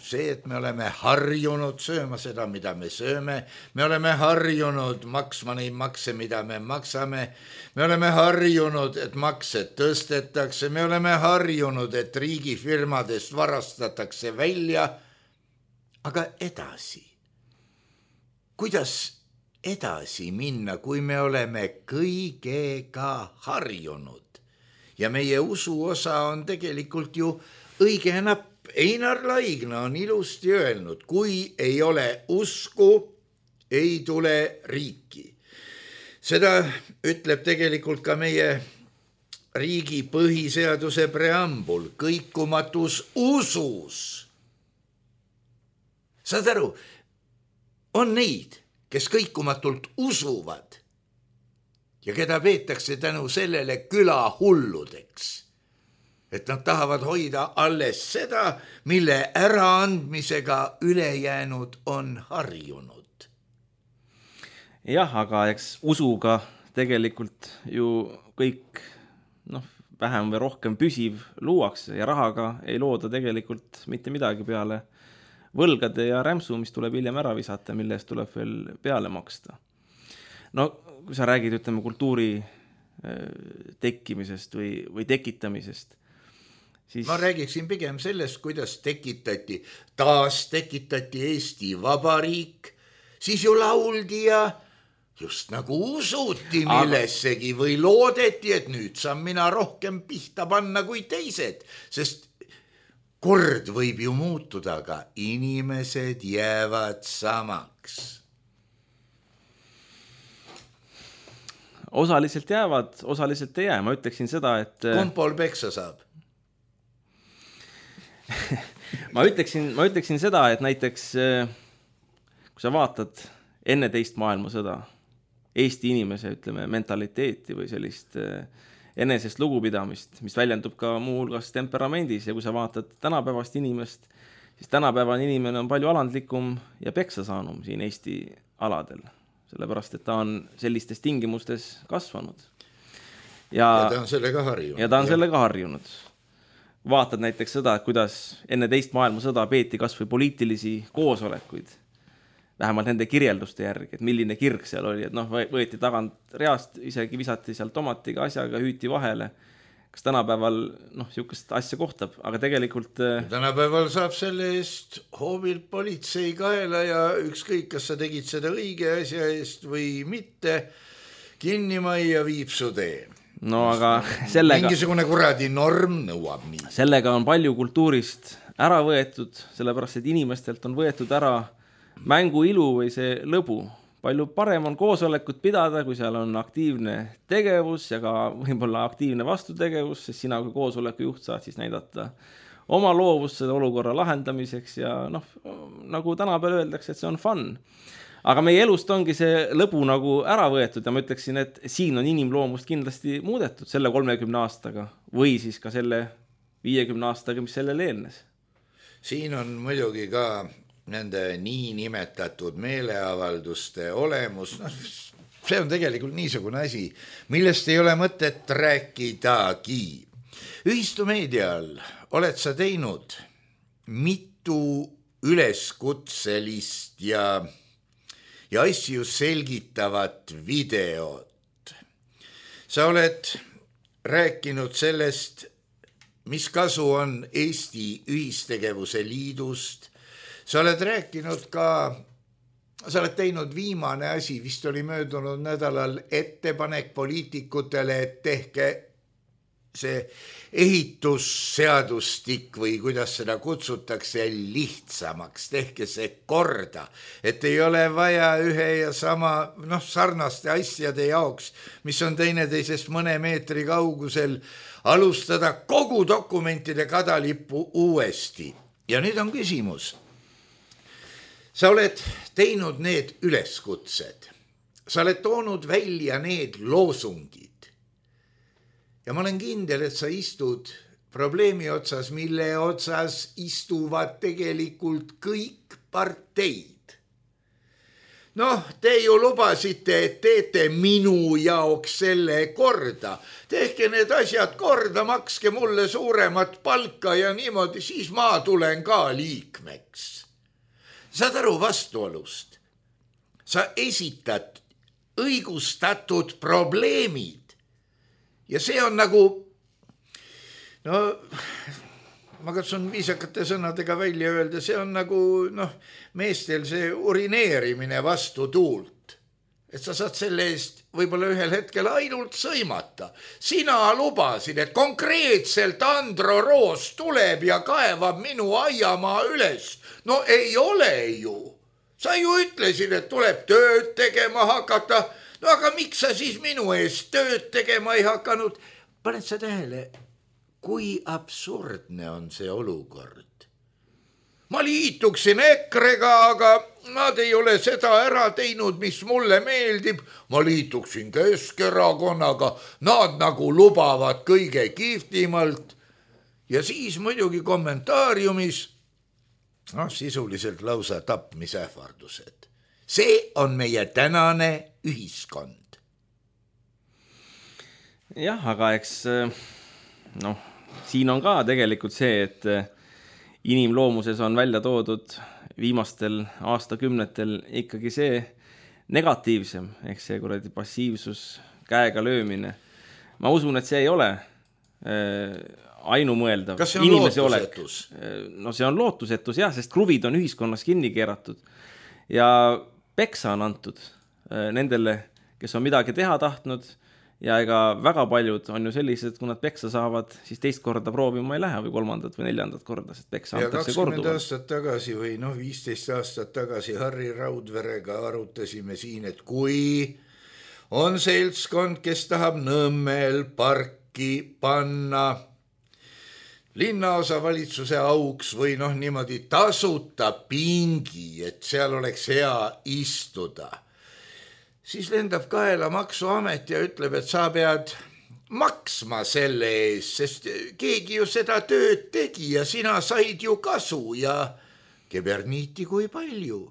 see, et me oleme harjunud sööma seda, mida me sööme, me oleme harjunud maksma neid makse, mida me maksame, me oleme harjunud, et makse tõstetakse, me oleme harjunud, et riigifirmadest varastatakse välja. Aga edasi, kuidas edasi minna, kui me oleme kõigega harjunud? Ja meie usu osa on tegelikult ju õige napp. Einar Laigna on ilusti öelnud, kui ei ole usku, ei tule riiki. Seda ütleb tegelikult ka meie riigi põhiseaduse preambul, kõikumatus usus. Saad aru, on neid, kes kõikumatult usuvad ja keda peetakse tänu sellele küla hulludeks, et nad tahavad hoida alles seda, mille äraandmisega ülejäänud on harjunud. Jah, aga eks usuga tegelikult ju kõik noh, vähem või rohkem püsiv luuakse ja rahaga ei looda tegelikult mitte midagi peale võlgade ja rämpsu, mis tuleb hiljem ära visata, mille eest tuleb veel peale maksta. No, kui sa räägid, ütleme, kultuuri tekkimisest või, või tekitamisest, siis... Ma räägiksin pigem sellest, kuidas tekitati, taas tekitati Eesti Vabariik, siis ju lauldi ja just nagu usuti millessegi või loodeti, et nüüd saan mina rohkem pihta panna kui teised, sest kord võib ju muutuda, aga inimesed jäävad samaks. Osaliselt jäävad, osaliselt ei jää. Ma ütleksin seda, et... Kumb pool peksa saab? ma, ütleksin, ma ütleksin seda, et näiteks kui sa vaatad enne teist maailmasõda Eesti inimese, ütleme, mentaliteeti või sellist enesest lugupidamist, mis väljendub ka muu hulgas temperamendis ja kui sa vaatad tänapäevast inimest, siis tänapäevane inimene on palju alandlikum ja peksa saanum siin Eesti aladel, sellepärast et ta on sellistes tingimustes kasvanud. Ja, ja ta on sellega harjunud. Ja ta on sellega harjunud. Vaatad näiteks seda, kuidas enne teist maailmasõda peeti kas või poliitilisi koosolekuid, vähemalt nende kirjelduste järgi, et milline kirg seal oli, et noh, võeti tagant reast, isegi visati seal tomatiga asjaga, hüüti vahele. Kas tänapäeval noh, sihukest asja kohtab, aga tegelikult... Tänapäeval saab selle eest hoobilt politsei kaela ja ükskõik, kas sa tegid seda õige asja eest või mitte, kinni majja viib su tee. No aga sellega... Mingisugune kuradi norm nõuab nii. Sellega on palju kultuurist ära võetud, sellepärast et inimestelt on võetud ära mängu ilu või see lõbu. Palju parem on koosolekut pidada, kui seal on aktiivne tegevus ja ka võib-olla aktiivne vastutegevus, sest sina kui koosoleku juht saad siis näidata oma loovust selle olukorra lahendamiseks ja noh, nagu tänapäeval öeldakse, et see on fun. aga meie elust ongi see lõbu nagu ära võetud ja ma ütleksin, et siin on inimloomust kindlasti muudetud selle kolmekümne aastaga või siis ka selle viiekümne aastaga, mis sellele eelnes. Siin on muidugi ka nende nii nimetatud meeleavalduste olemus, no, see on tegelikult niisugune asi, millest ei ole mõtet rääkidagi. Ühistumeedial oled sa teinud mitu üleskutselist ja, ja asju selgitavat videot. Sa oled rääkinud sellest, mis kasu on Eesti Ühistegevuse Liidust. Sa oled rääkinud ka, sa oled teinud viimane asi, vist oli möödunud nädalal ettepanek poliitikutele, et tehke see ehitusseadustik või kuidas seda kutsutakse lihtsamaks, tehke see korda, et ei ole vaja ühe ja sama noh, sarnaste asjade jaoks, mis on teineteisest mõne meetri kaugusel, alustada kogu dokumentide kadalippu uuesti. Ja nüüd on küsimus. Sa oled teinud need üleskutsed, sa oled toonud välja need loosungid. Ja ma olen kindel, et sa istud probleemi otsas, mille otsas istuvad tegelikult kõik parteid. Noh, te ju lubasite, et teete minu jaoks selle korda. Tehke need asjad korda, makske mulle suuremat palka ja niimoodi, siis ma tulen ka liikmeks. Saad aru vastuolust? Sa esitad õigustatud probleemid. Ja see on nagu, no ma katsun viisakate sõnadega välja öelda, see on nagu noh, meestel see urineerimine vastu tuult. Et sa saad selle eest võib-olla ühel hetkel ainult sõimata. Sina lubasid, et konkreetselt Andro Roos tuleb ja kaevab minu aiamaa üles. No ei ole ju. Sa ju ütlesid, et tuleb tööd tegema hakata. No aga miks sa siis minu eest tööd tegema ei hakanud? Paned sa tähele, kui absurdne on see olukord. Ma liituksin EKRE-ga, aga nad ei ole seda ära teinud, mis mulle meeldib. Ma liituksin Keskerakonnaga, nad nagu lubavad kõige kihvtimalt. Ja siis muidugi kommentaariumis, noh, sisuliselt lausa tapmisähvardused. See on meie tänane ühiskond. Jah, aga eks noh, siin on ka tegelikult see, et inimloomuses on välja toodud viimastel aastakümnetel ikkagi see negatiivsem, ehk see kuradi passiivsus, käega löömine. Ma usun, et see ei ole ainumõeldav. Kas see on lootusetus? No see on lootusetus, jah, sest kruvid on ühiskonnas kinni keeratud ja peksa on antud nendele, kes on midagi teha tahtnud ja ega väga paljud on ju sellised, kui nad peksa saavad, siis teist korda proovima ei lähe või kolmandat või neljandat korda, sest peksa antakse korduvalt. Ja kakskümmend aastat tagasi või noh, viisteist aastat tagasi Harri Raudverega arutasime siin, et kui on seltskond, kes tahab Nõmmel parki panna linnaosa valitsuse auks või noh niimoodi tasuta pingi, et seal oleks hea istuda, siis lendab kaela maksuamet ja ütleb, et sa pead maksma selle eest, sest keegi ju seda tööd tegi ja sina said ju kasu ja keberniiti kui palju.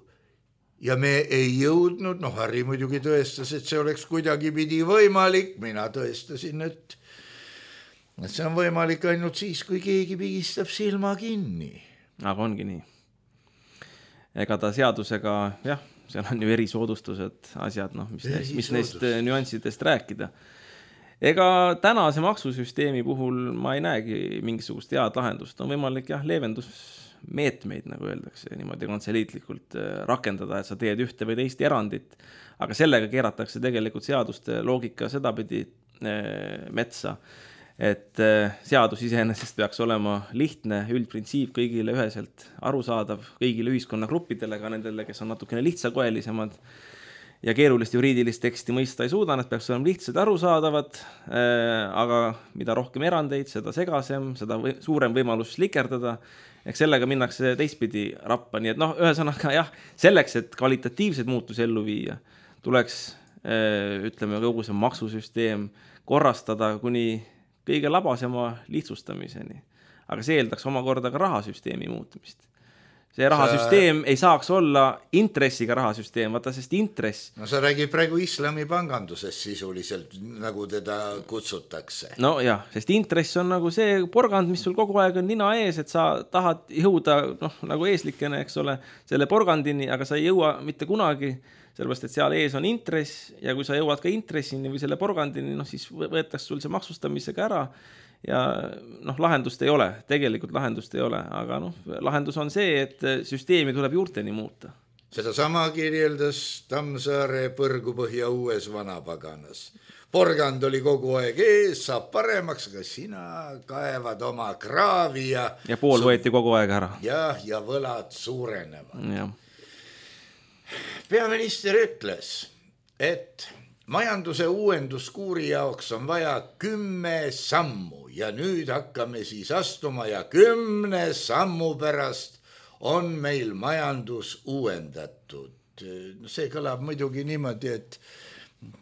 Ja me ei jõudnud, noh Harri muidugi tõestas, et see oleks kuidagi pidi võimalik, mina tõestasin, et et see on võimalik ainult siis, kui keegi pigistab silma kinni. Aga ongi nii. Ega ta seadusega, jah, seal on ju erisoodustused, asjad, noh, mis, neist, mis neist nüanssidest rääkida. Ega tänase maksusüsteemi puhul ma ei näegi mingisugust head lahendust. On võimalik jah, leevendusmeetmeid, nagu öeldakse, niimoodi kantseliitlikult rakendada, et sa teed ühte või teist erandit. Aga sellega keeratakse tegelikult seaduste loogika sedapidi metsa, et seadus iseenesest peaks olema lihtne, üldprintsiip kõigile üheselt arusaadav, kõigile ühiskonnagruppidele, ka nendele, kes on natukene lihtsakoelisemad ja keerulist juriidilist teksti mõista ei suuda, need peaks olema lihtsad arusaadavad, aga mida rohkem erandeid, seda segasem, seda või, suurem võimalus likerdada, Eks sellega minnakse teistpidi rappa, nii et noh, ühesõnaga jah, selleks, et kvalitatiivseid muutusi ellu viia, tuleks ütleme kogu see maksusüsteem korrastada kuni kõige labasema lihtsustamiseni. Aga see eeldaks omakorda ka rahasüsteemi muutumist. See rahasüsteem sa... ei saaks olla intressiga rahasüsteem, vaata, sest intress... No sa räägid praegu islami pangandusest sisuliselt, nagu teda kutsutakse. No jah, sest intress on nagu see porgand, mis sul kogu aeg on nina ees, et sa tahad jõuda, noh, nagu eeslikene, eks ole, selle porgandini, aga sa ei jõua mitte kunagi, sellepärast, et seal ees on intress ja kui sa jõuad ka intressini või selle porgandini, noh, siis võetakse sul see maksustamisega ära ja noh, lahendust ei ole, tegelikult lahendust ei ole, aga noh, lahendus on see, et süsteemi tuleb juurteni muuta. Seda sama kirjeldas Tammsaare Põrgupõhja uues vanapaganas. Porgand oli kogu aeg ees, saab paremaks, aga sina kaevad oma kraavi ja... Ja pool su... võeti kogu aeg ära. Jah, ja võlad suurenevad. Ja. Peaminister ütles, et majanduse uuenduskuuri jaoks on vaja kümme sammu ja nüüd hakkame siis astuma ja kümne sammu pärast on meil majandus uuendatud. See kõlab muidugi niimoodi, et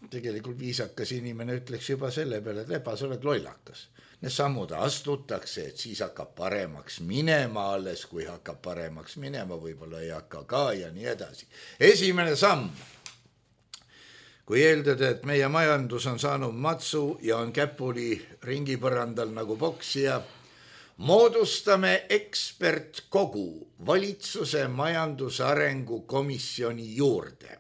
tegelikult viisakas inimene ütleks juba selle peale, et lepa, sa oled lollakas. Need sammud astutakse, et siis hakkab paremaks minema alles, kui hakkab paremaks minema, võib-olla ei hakka ka ja nii edasi. Esimene samm. Kui eeldada, et meie majandus on saanud matsu ja on käpuli ringipõrandal nagu poksija, moodustame ekspertkogu valitsuse majandusarengu komisjoni juurde,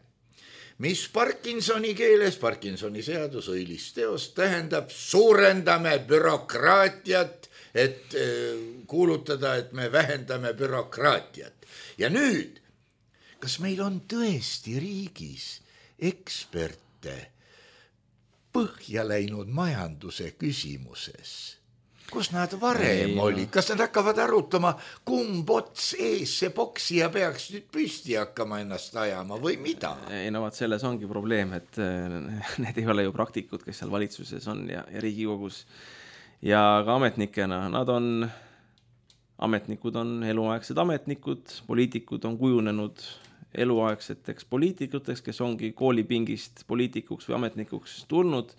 mis Parkinsoni keeles, Parkinsoni seadus, õilisteos, tähendab suurendame bürokraatiat, et kuulutada, et me vähendame bürokraatiat. Ja nüüd, kas meil on tõesti riigis eksperte põhja läinud majanduse küsimuses? Kus nad varem ei, oli? Kas nad hakkavad arutama, kumb ots ees see poksija peaks nüüd püsti hakkama ennast ajama või mida? Ei, no vaat selles ongi probleem, et need ei ole ju praktikud, kes seal valitsuses on ja, ja Riigikogus ja ka ametnikena. Nad on, ametnikud on eluaegsed ametnikud, poliitikud on kujunenud eluaegseteks poliitikuteks, kes ongi koolipingist poliitikuks või ametnikuks tulnud.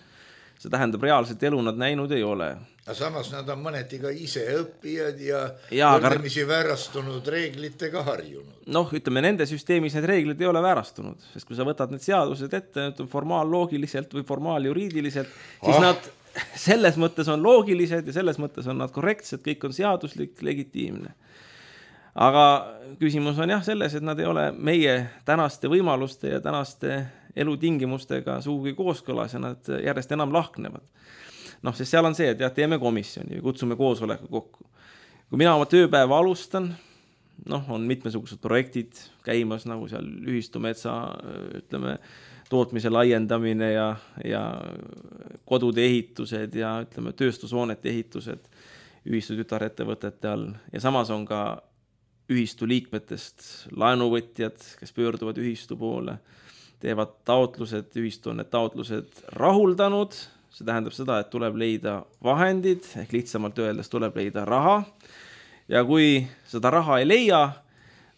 See tähendab, reaalset elu nad näinud ei ole. Aga samas nad on mõneti ka ise õppijad ja, ja võrdlemisi väärastunud reeglitega harjunud. Noh, ütleme, nende süsteemis need reeglid ei ole väärastunud, sest kui sa võtad need seadused ette formaalloogiliselt või formaaljuriidiliselt, siis ah. nad selles mõttes on loogilised ja selles mõttes on nad korrektsed, kõik on seaduslik, legitiimne. Aga küsimus on jah selles, et nad ei ole meie tänaste võimaluste ja tänaste elutingimustega suugi kooskõlas ja nad järjest enam lahknevad. Noh, sest seal on see, et jah, teeme komisjoni ja kutsume koosoleku kokku. Kui mina oma tööpäeva alustan, noh, on mitmesugused projektid käimas, nagu seal ühistumetsa, ütleme, tootmise laiendamine ja, ja kodude ehitused ja ütleme, tööstushoonete ehitused ühistu tütarettevõtete all. Ja samas on ka ühistu liikmetest laenuvõtjad, kes pöörduvad ühistu poole, teevad taotlused, ühistu on need taotlused rahuldanud, see tähendab seda, et tuleb leida vahendid, ehk lihtsamalt öeldes tuleb leida raha, ja kui seda raha ei leia,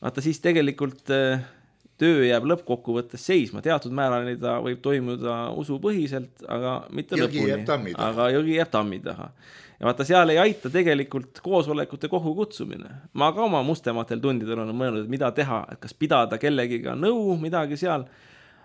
vaata siis tegelikult töö jääb lõppkokkuvõttes seisma, teatud määrani ta võib toimuda usupõhiselt, aga mitte jõgi lõpuni, aga jõgi jääb tammi taha. Ja vaata, seal ei aita tegelikult koosolekute kohu kutsumine. Ma ka oma mustematel tundidel olen mõelnud, et mida teha, et kas pidada kellegiga nõu, midagi seal.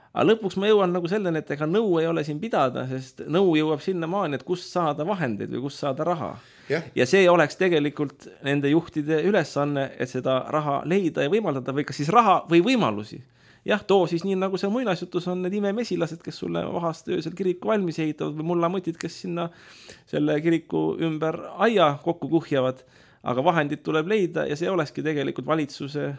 Aga lõpuks ma jõuan nagu selleni, et ega nõu ei ole siin pidada, sest nõu jõuab sinna maani, et kust saada vahendeid või kust saada raha. Ja. ja see oleks tegelikult nende juhtide ülesanne, et seda raha leida ja võimaldada või kas siis raha või võimalusi. Jah, too siis nii nagu see muinasjutus on need imemesilased, kes sulle vahast öösel kiriku valmis ehitavad või mullamutid, kes sinna selle kiriku ümber aia kokku kuhjavad, aga vahendid tuleb leida ja see olekski tegelikult valitsuse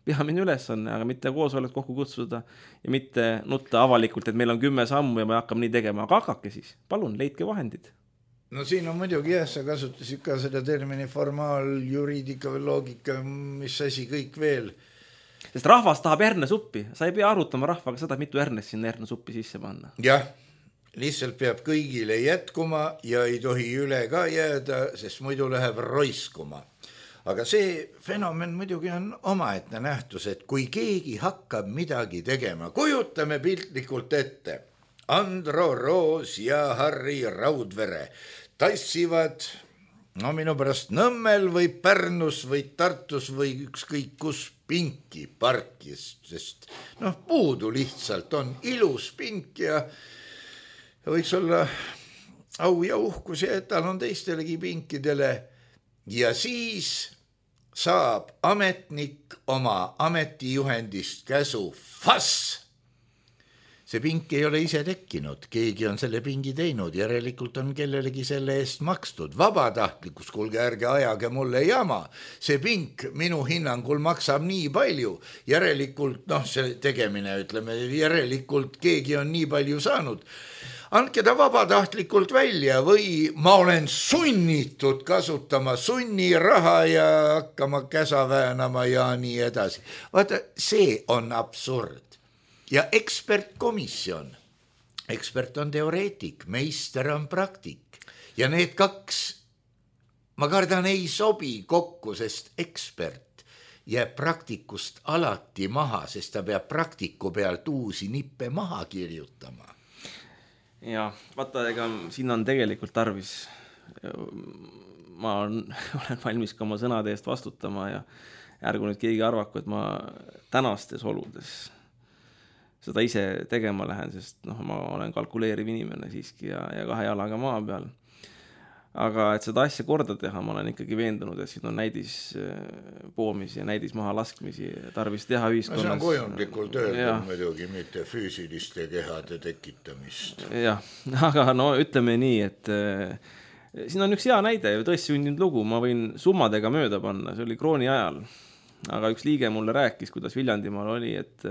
peamine ülesanne, aga mitte koosolek kokku kutsuda ja mitte nutta avalikult, et meil on kümme sammu ja me hakkame nii tegema, aga hakake siis, palun, leidke vahendid. No siin on muidugi jah, sa kasutasid ka seda termini formaal, juriidika või loogika, mis asi kõik veel. Sest rahvas tahab hernesuppi, sa ei pea arutama rahvaga seda, mitu hernes sinna hernesuppi sisse panna. Jah, lihtsalt peab kõigile jätkuma ja ei tohi üle ka jääda, sest muidu läheb roiskuma. aga see fenomen muidugi on omaette nähtus, et kui keegi hakkab midagi tegema, kujutame piltlikult ette, Andro Roos ja Harri Raudvere tassivad no minu pärast Nõmmel või Pärnus või Tartus või ükskõik kus pinki parkis, sest noh, puudu lihtsalt on ilus pink ja võiks olla au ja uhkus ja et tal on teistelegi pinkidele ja siis saab ametnik oma ametijuhendist käsu fass. See pink ei ole ise tekkinud, keegi on selle pingi teinud, järelikult on kellelegi selle eest makstud. Vabatahtlikus, kuulge ärge ajage mulle jama, see pink minu hinnangul maksab nii palju, järelikult, noh see tegemine, ütleme, järelikult keegi on nii palju saanud. Andke ta vabatahtlikult välja või ma olen sunnitud kasutama sunniraha ja hakkama käsa väänama ja nii edasi. Vaata, see on absurd. Ja ekspertkomisjon, ekspert on teoreetik, meister on praktik ja need kaks, ma kardan, ei sobi kokku, sest ekspert jääb praktikust alati maha, sest ta peab praktiku pealt uusi nippe maha kirjutama. Ja vaata, ega siin on tegelikult tarvis, ma olen valmis ka oma sõnade eest vastutama ja ärgu nüüd keegi arvaku, et ma tänastes oludes seda ise tegema lähen, sest noh, ma olen kalkuleeriv inimene siiski ja, ja kahe jalaga maa peal. Aga et seda asja korda teha, ma olen ikkagi veendunud, et siin on näidis poomisi ja näidis maha laskmisi tarvis teha ühiskonnas. See on kujundlikult öeldud muidugi, mitte füüsiliste kehade tekitamist. Jah, aga no ütleme nii, et siin on üks hea näide, tõesti sündinud lugu, ma võin summadega mööda panna, see oli krooni ajal. Aga üks liige mulle rääkis, kuidas Viljandimaal oli, et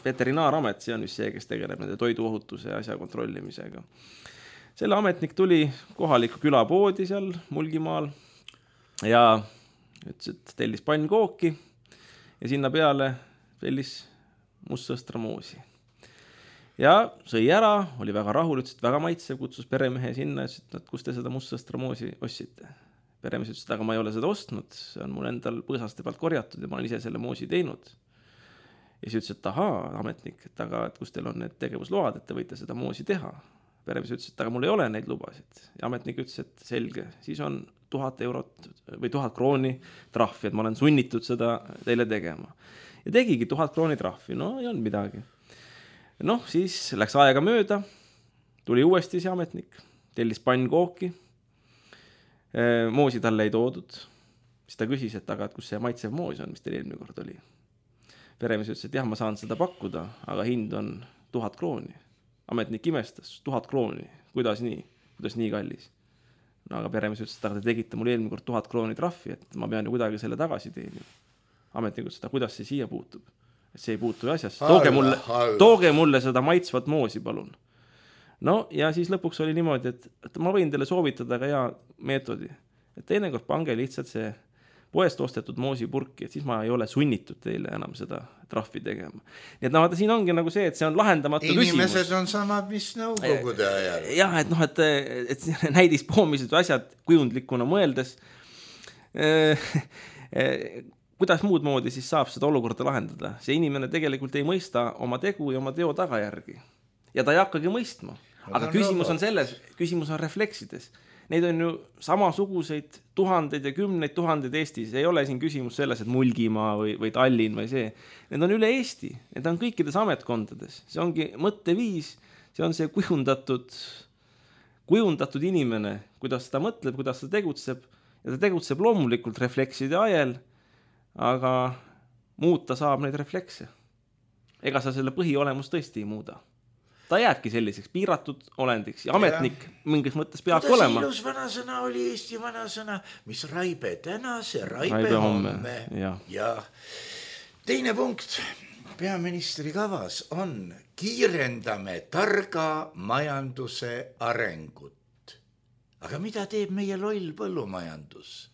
veterinaaramet, see on just see, kes tegeleb nende toiduohutuse ja asja kontrollimisega. Selle ametnik tuli kohaliku külapoodi seal Mulgimaal ja ütles, et tellis pannkooki ja sinna peale tellis mustsõstramoosi. Ja sõi ära, oli väga rahul, ütles, et väga maitsev, kutsus peremehe sinna, ütles, et kus te seda mustsõstramoosi ostsite. Peremees ütles, et aga ma ei ole seda ostnud, see on mul endal põõsaste pealt korjatud ja ma olen ise selle moosi teinud. Ja siis ütles, et ahaa, ametnik, et aga et kus teil on need tegevusload, et te võite seda moosi teha. Peremees ütles, et aga mul ei ole neid lubasid. Ja ametnik ütles, et selge, siis on tuhat eurot või tuhat krooni trahvi, et ma olen sunnitud seda teile tegema. Ja tegigi tuhat krooni trahvi, no ei olnud midagi. Noh, siis läks aega mööda, tuli uuesti see ametnik, tellis pannkooki, moosi talle ei toodud. Siis ta küsis, et aga et kus see maitsev moos on, mis teil eelmine kord oli. Peremees ütles, et jah, ma saan seda pakkuda, aga hind on tuhat krooni. Ametnik imestas, tuhat krooni, kuidas nii, kuidas nii kallis. No aga peremees ütles, et aga te tegite mul eelmine kord tuhat krooni trahvi, et ma pean ju kuidagi selle tagasi teenima. Ametnik ütles, et kuidas see siia puutub? Et see ei puutu asjasse. Tooge mulle, tooge mulle seda maitsvat moosi, palun. No ja siis lõpuks oli niimoodi, et, et ma võin teile soovitada ka hea meetodi. Et teinekord pange lihtsalt see poest ostetud moosipurki, et siis ma ei ole sunnitud teile enam seda trahvi tegema. Nii et no, vaata, siin ongi nagu see, et see on lahendamatu Inimesed küsimus. Inimesed on samad, mis nõukogude ajal. Jah, et noh, et, et näidis poomised või asjad kujundlikuna mõeldes. Kuidas muud moodi siis saab seda olukorda lahendada? See inimene tegelikult ei mõista oma tegu ja oma teo tagajärgi. Ja ta ei hakkagi mõistma. Aga küsimus on selles, küsimus on refleksides. Neid on ju samasuguseid tuhandeid ja kümneid tuhandeid Eestis. Ei ole siin küsimus selles, et Mulgimaa või, või Tallinn või see. Need on üle Eesti. Need on kõikides ametkondades. See ongi mõtteviis. See on see kujundatud, kujundatud inimene, kuidas ta mõtleb, kuidas ta tegutseb. Ja ta tegutseb loomulikult reflekside ajel, aga muuta saab neid reflekse. Ega sa selle põhiolemus tõesti ei muuda. Ta jääbki selliseks piiratud olendiks ja ametnik ja. Mingis mõttes peab Kuidas olema. Ilus vanasõna oli Eesti vanasõna, mis raibe täna, see raibe, raibe homme. homme. Ja. ja teine punkt peaministri kavas on kiirendame targa majanduse arengut. Aga mida teeb meie loll põllumajandus?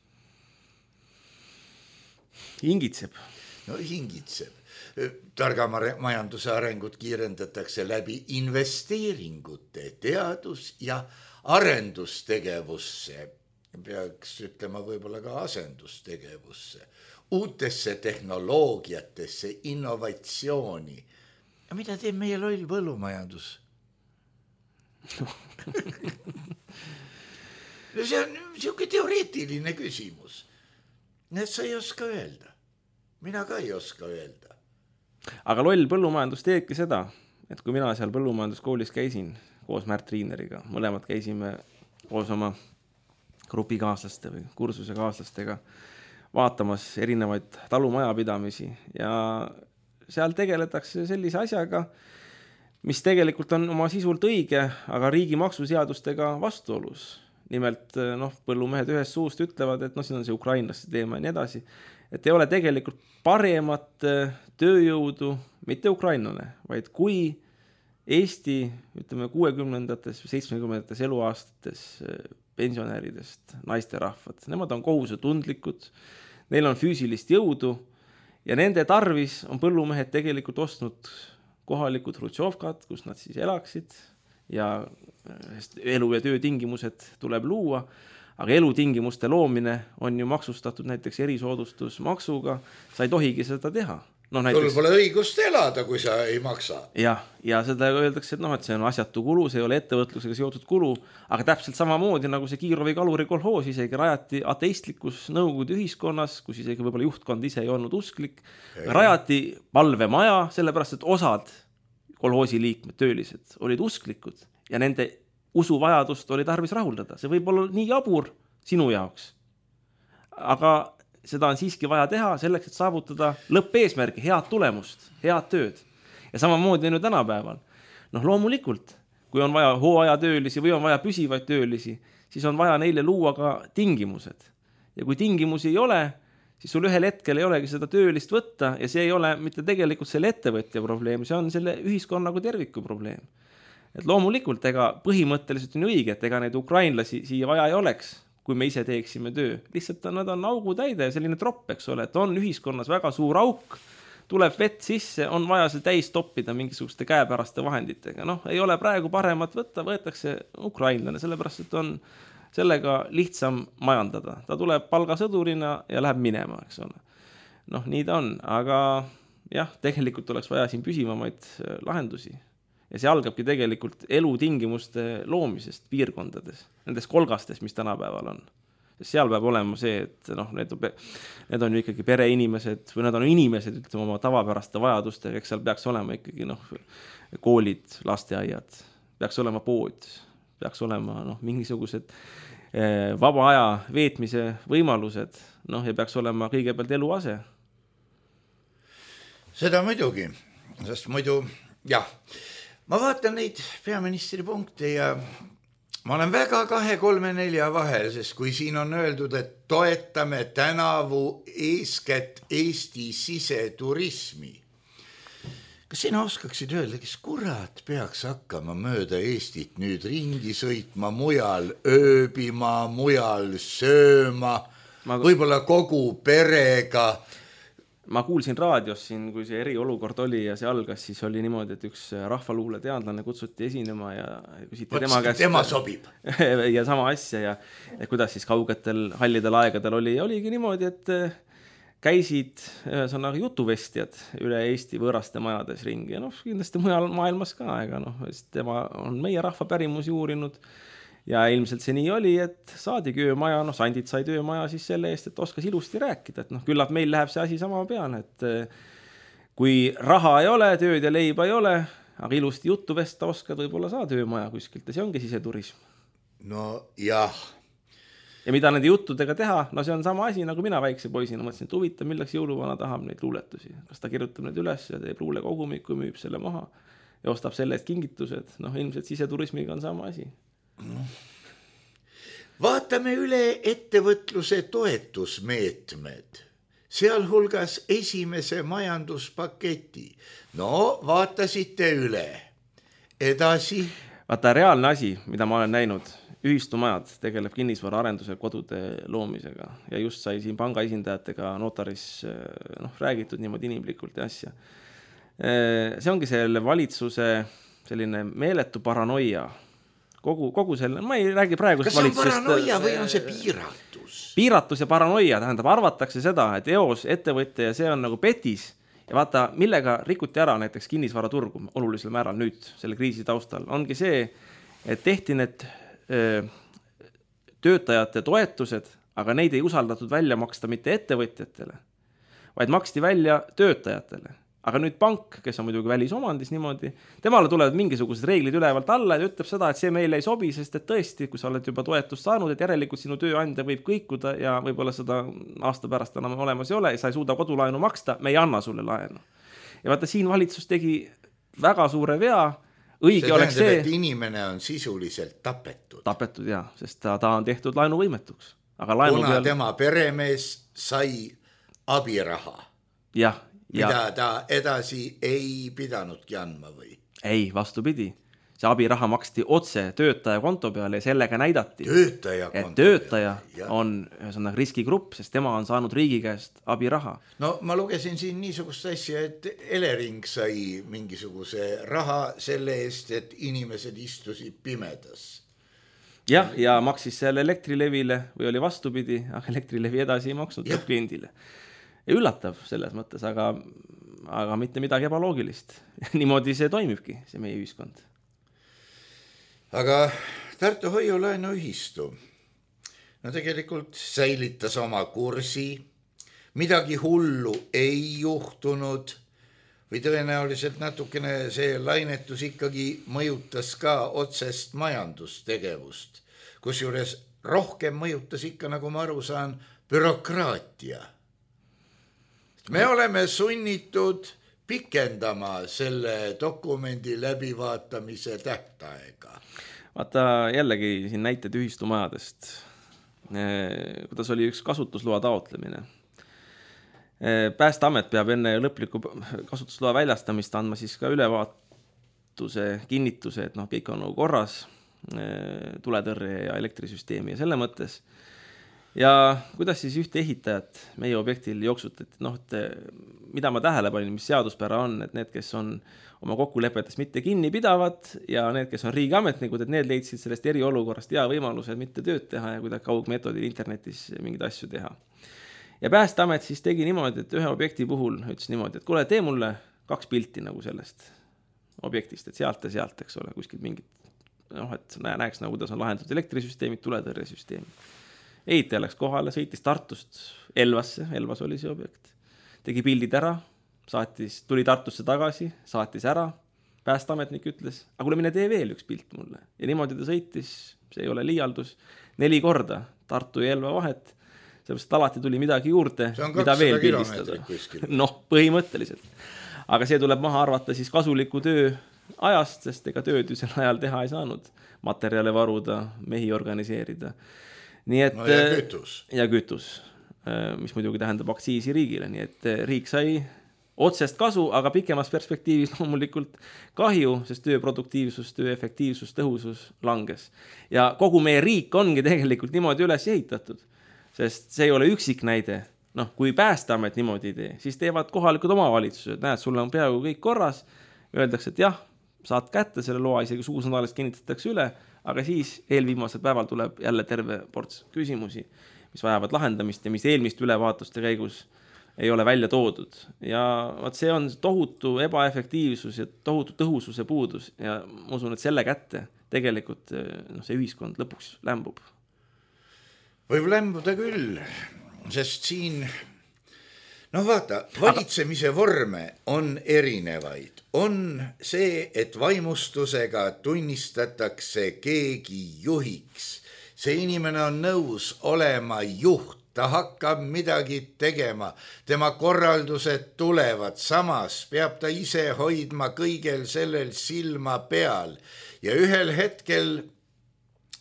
Hingitseb. No hingitseb. Targa majanduse arengut kiirendatakse läbi investeeringute teadus- ja arendustegevusse. peaks ütlema võib-olla ka asendustegevusse, uutesse tehnoloogiatesse, innovatsiooni. Ja mida teeb meie loll põllumajandus? No see on siuke teoreetiline küsimus. Need sa ei oska öelda. Mina ka ei oska öelda. Aga loll põllumajandus teebki seda, et kui mina seal põllumajanduskoolis käisin koos Märt Riineriga, mõlemad käisime koos oma grupikaaslaste või kursuse kaaslastega vaatamas erinevaid talumajapidamisi ja seal tegeletakse sellise asjaga, mis tegelikult on oma sisult õige, aga riigi maksuseadustega vastuolus. Nimelt noh, põllumehed ühes suust ütlevad, et noh, siin on see ukrainlaste teema ja nii edasi, et ei ole tegelikult paremat tööjõudu, mitte ukrainlane, vaid kui Eesti, ütleme kuuekümnendates või seitsmekümnendates eluaastates pensionäridest naisterahvad, nemad on kohusetundlikud, neil on füüsilist jõudu ja nende tarvis on põllumehed tegelikult ostnud kohalikud hrutšovkad, kus nad siis elaksid ja elu- ja töötingimused tuleb luua, aga elutingimuste loomine on ju maksustatud näiteks erisoodustusmaksuga, sa ei tohigi seda teha. No, näiteks... Sul pole õigust elada, kui sa ei maksa. Ja, ja seda öeldakse, et, noh, et see on asjatu kulu, see ei ole ettevõtlusega seotud kulu, aga täpselt samamoodi nagu see Kiirovi kaluri kolhoos isegi rajati ateistlikus nõukogude ühiskonnas, kus isegi võib-olla juhtkond ise ei olnud usklik, rajati palvemaja, sellepärast, et osad kolhoosi liikmed, töölised, olid usklikud ja nende usuvajadust oli tarvis rahuldada. See võib olla nii jabur sinu jaoks, aga seda on siiski vaja teha selleks, et saavutada lõppeesmärgi, head tulemust, head tööd. Ja samamoodi on ju tänapäeval. Noh, loomulikult, kui on vaja hooajatöölisi või on vaja püsivaid töölisi, siis on vaja neile luua ka tingimused. Ja kui tingimusi ei ole, siis sul ühel hetkel ei olegi seda töölist võtta ja see ei ole mitte tegelikult selle ettevõtja probleem, see on selle ühiskonna kui terviku probleem. Et loomulikult, ega põhimõtteliselt on õige, et ega neid ukrainlasi siia vaja ei oleks, kui me ise teeksime töö. Lihtsalt nad on augu täide, selline tropp, eks ole, et on ühiskonnas väga suur auk, tuleb vett sisse, on vaja see täis toppida mingisuguste käepäraste vahenditega. Noh, ei ole praegu paremat võtta, võetakse ukrainlane, sellepärast, et on sellega lihtsam majandada. Ta tuleb palgasõdurina ja läheb minema, eks ole. Noh, nii ta on, aga jah, tegelikult oleks vaja siin püsivamaid lahendusi. Ja see algabki tegelikult elutingimuste loomisest piirkondades, nendes kolgastes, mis tänapäeval on. Sest seal peab olema see, et noh, need, need on ju ikkagi pereinimesed või nad on inimesed, ütleme oma tavapäraste vajadustega, eks seal peaks olema ikkagi noh, koolid, lasteaiad, peaks olema pood, peaks olema noh, mingisugused eh, vaba aja veetmise võimalused, noh, ja peaks olema kõigepealt eluase. Seda muidugi, sest muidu, jah, ma vaatan neid peaministri punkte ja ma olen väga kahe, kolme, nelja vahel, sest kui siin on öeldud, et toetame tänavu eeskätt Eesti siseturismi. Kas sina oskaksid öelda, kes kurat peaks hakkama mööda Eestit nüüd ringi sõitma, mujal ööbima, mujal sööma, ma... võib-olla kogu perega? Ma kuulsin raadios siin, kui see eriolukord oli ja see algas, siis oli niimoodi, et üks rahvaluule teadlane kutsuti esinema ja küsiti tema käest. Tema sobib. Ja sama asja ja kuidas siis kaugetel hallidel aegadel oli. Ja oligi niimoodi, et käisid ühesõnaga jutuvestjad üle Eesti võõraste majades ringi. Ja noh, kindlasti mujal maailmas ka, ega noh, tema on meie rahva pärimusi uurinud. Ja ilmselt see nii oli, et saadigi öömaja, noh, Sandid sai öömaja siis selle eest, et oskas ilusti rääkida, et noh, küllap meil läheb see asi sama peale, et kui raha ei ole, tööd ja leiba ei ole, aga ilusti juttu vesta oskad, võib-olla saad öömaja kuskilt ja see ongi siseturism. No jah. Ja mida nende juttudega teha, no see on sama asi, nagu mina väikse poisina mõtlesin, et huvitav, milleks jõuluvana tahab neid luuletusi. Kas ta kirjutab neid üles ja teeb luule kogumiku, müüb selle maha ja ostab selle eest kingitused, noh, ilmselt siseturismiga on sama asi. Vaatame üle ettevõtluse toetusmeetmed, sealhulgas esimese majanduspaketi. No, vaatasite üle. Edasi. Vaata, reaalne asi, mida ma olen näinud, ühistumajad tegeleb kinnisvara arenduse kodude loomisega ja just sai siin panga esindajatega notaris noh, räägitud niimoodi inimlikult ja asja. See ongi selle valitsuse selline meeletu paranoia kogu, kogu selle, ma ei räägi praegust valitsusest. Kas see on paranoia või on see piiratus? Piiratus ja paranoia, tähendab, arvatakse seda, et eos ettevõtja ja see on nagu petis ja vaata, millega rikuti ära näiteks kinnisvaraturgu olulisel määral nüüd selle kriisi taustal, ongi see, et tehti need öö, töötajate toetused, aga neid ei usaldatud välja maksta mitte ettevõtjatele, vaid maksti välja töötajatele. Aga nüüd pank, kes on muidugi välisomandis niimoodi, temale tulevad mingisugused reeglid ülevalt alla ja ütleb seda, et see meile ei sobi, sest et tõesti, kui sa oled juba toetust saanud, et järelikult sinu tööandja võib kõikuda ja võib-olla seda aasta pärast enam olemas ei ole ja sa ei suuda kodulaenu maksta, me ei anna sulle laenu. Ja vaata, siin valitsus tegi väga suure vea, õige see oleks see... et inimene on sisuliselt tapetud. Tapetud, jah, sest ta, ta on tehtud laenuvõimetuks. Aga laenu kuna peal... tema peremees sai abiraha. Jah. Ja... mida ta edasi ei pidanudki andma või? Ei, vastupidi. See abiraha maksti otse töötaja konto peale ja sellega näidati, töötaja et töötaja peale. On ühesõnaga riskigrupp, sest tema on saanud riigi käest abiraha. No ma lugesin siin niisugust asja, et Elering sai mingisuguse raha selle eest, et inimesed istusid pimedas. Jah, ja maksis selle Elektrilevile või oli vastupidi, aga Elektrilevi edasi ei maksnud kliendile. Ja üllatav selles mõttes, aga, aga mitte midagi ebaloogilist. Niimoodi see toimibki, see meie ühiskond. Aga Tartu hoiulaenu ühistu, no tegelikult säilitas oma kursi, midagi hullu ei juhtunud või tõenäoliselt natukene see lainetus ikkagi mõjutas ka otsest majandustegevust, kusjuures rohkem mõjutas ikka, nagu ma aru saan, bürokraatia. Me oleme sunnitud pikendama selle dokumendi läbivaatamise tähtaega. Vaata jällegi siin näited ühistumajadest, kuidas oli üks kasutusloa taotlemine. Päästeamet peab enne lõpliku kasutusloa väljastamist andma siis ka ülevaatuse, kinnituse, et noh, kõik on nagu korras, tuletõrje ja elektrisüsteemi ja selle mõttes. Ja kuidas siis ühte ehitajat meie objektil jooksutati, noh, et mida ma tähele panin, mis seaduspära on, et need, kes on oma kokkulepetest mitte kinni pidavad ja need, kes on riigiametnikud, et need leidsid sellest eriolukorrast hea võimaluse mitte tööd teha ja kuidagi kaugmeetodil internetis mingeid asju teha. Ja Päästeamet siis tegi niimoodi, et ühe objekti puhul ütles niimoodi, et kuule, tee mulle kaks pilti nagu sellest objektist, et sealt ja sealt, eks ole, kuskilt mingit, noh, et näeks nagu, kuidas on lahendatud elektrisüsteemid, tuletõrjesüsteemid. Ehitaja läks kohale, sõitis Tartust Elvasse, Elvas oli see objekt, tegi pildid ära, saatis, tuli Tartusse tagasi, saatis ära, Päästeametnik ütles, aga kuule, mine tee veel üks pilt mulle. Ja niimoodi ta sõitis, see ei ole liialdus, neli korda Tartu ja Elva vahet, sellepärast alati tuli midagi juurde, mida veel pildistada. Noh, põhimõtteliselt. Aga see tuleb maha arvata siis kasuliku töö ajast, sest ega tööd ju sel ajal teha ei saanud, materjale varuda, mehi organiseerida. Nii et, no ja kütus. Ja kütus, mis muidugi tähendab aktsiisi riigile, nii et riik sai otsest kasu, aga pikemas perspektiivis loomulikult kahju, sest töö produktiivsus, töö efektiivsus, tõhusus langes. Ja kogu meie riik ongi tegelikult niimoodi üles ehitatud, sest see ei ole üksik näide. Noh, kui Päästeamet niimoodi ei tee, siis teevad kohalikud omavalitsused, näed, sulle on peaaegu kõik korras, öeldakse, et jah, saad kätte selle loa, isegi suusõnalist kinnitatakse üle, aga siis eelviimasel päeval tuleb jälle terve ports küsimusi, mis vajavad lahendamist ja mis eelmist ülevaatuste käigus ei ole välja toodud. Ja vaat see on tohutu ebaefektiivsus ja tohutu tõhususe puudus ja ma usun, et selle kätte tegelikult no, see ühiskond lõpuks lämbub. Võib lämbuda küll, sest siin, noh vaata, valitsemise vorme on erinevaid. On see, et vaimustusega tunnistatakse keegi juhiks. See inimene on nõus olema juht, ta hakkab midagi tegema, tema korraldused tulevad, samas peab ta ise hoidma kõigel sellel silma peal ja ühel hetkel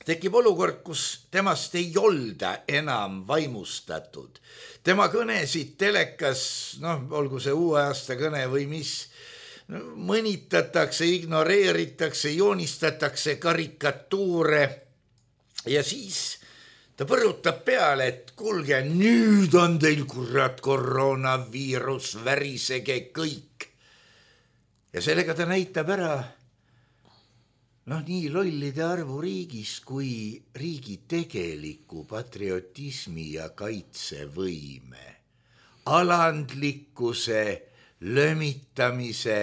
tekib olukord, kus temast ei olda enam vaimustatud. Tema kõnesid telekas, noh, olgu see uue aasta kõne või mis, mõnitatakse, ignoreeritakse, joonistatakse karikatuure ja siis ta põrutab peale, et kuulge, nüüd on teil kurat koroonaviirus, värisege kõik. Ja sellega ta näitab ära, noh, nii lollide arvu riigis kui riigi tegeliku patriotismi ja kaitsevõime, alandlikkuse, lömitamise,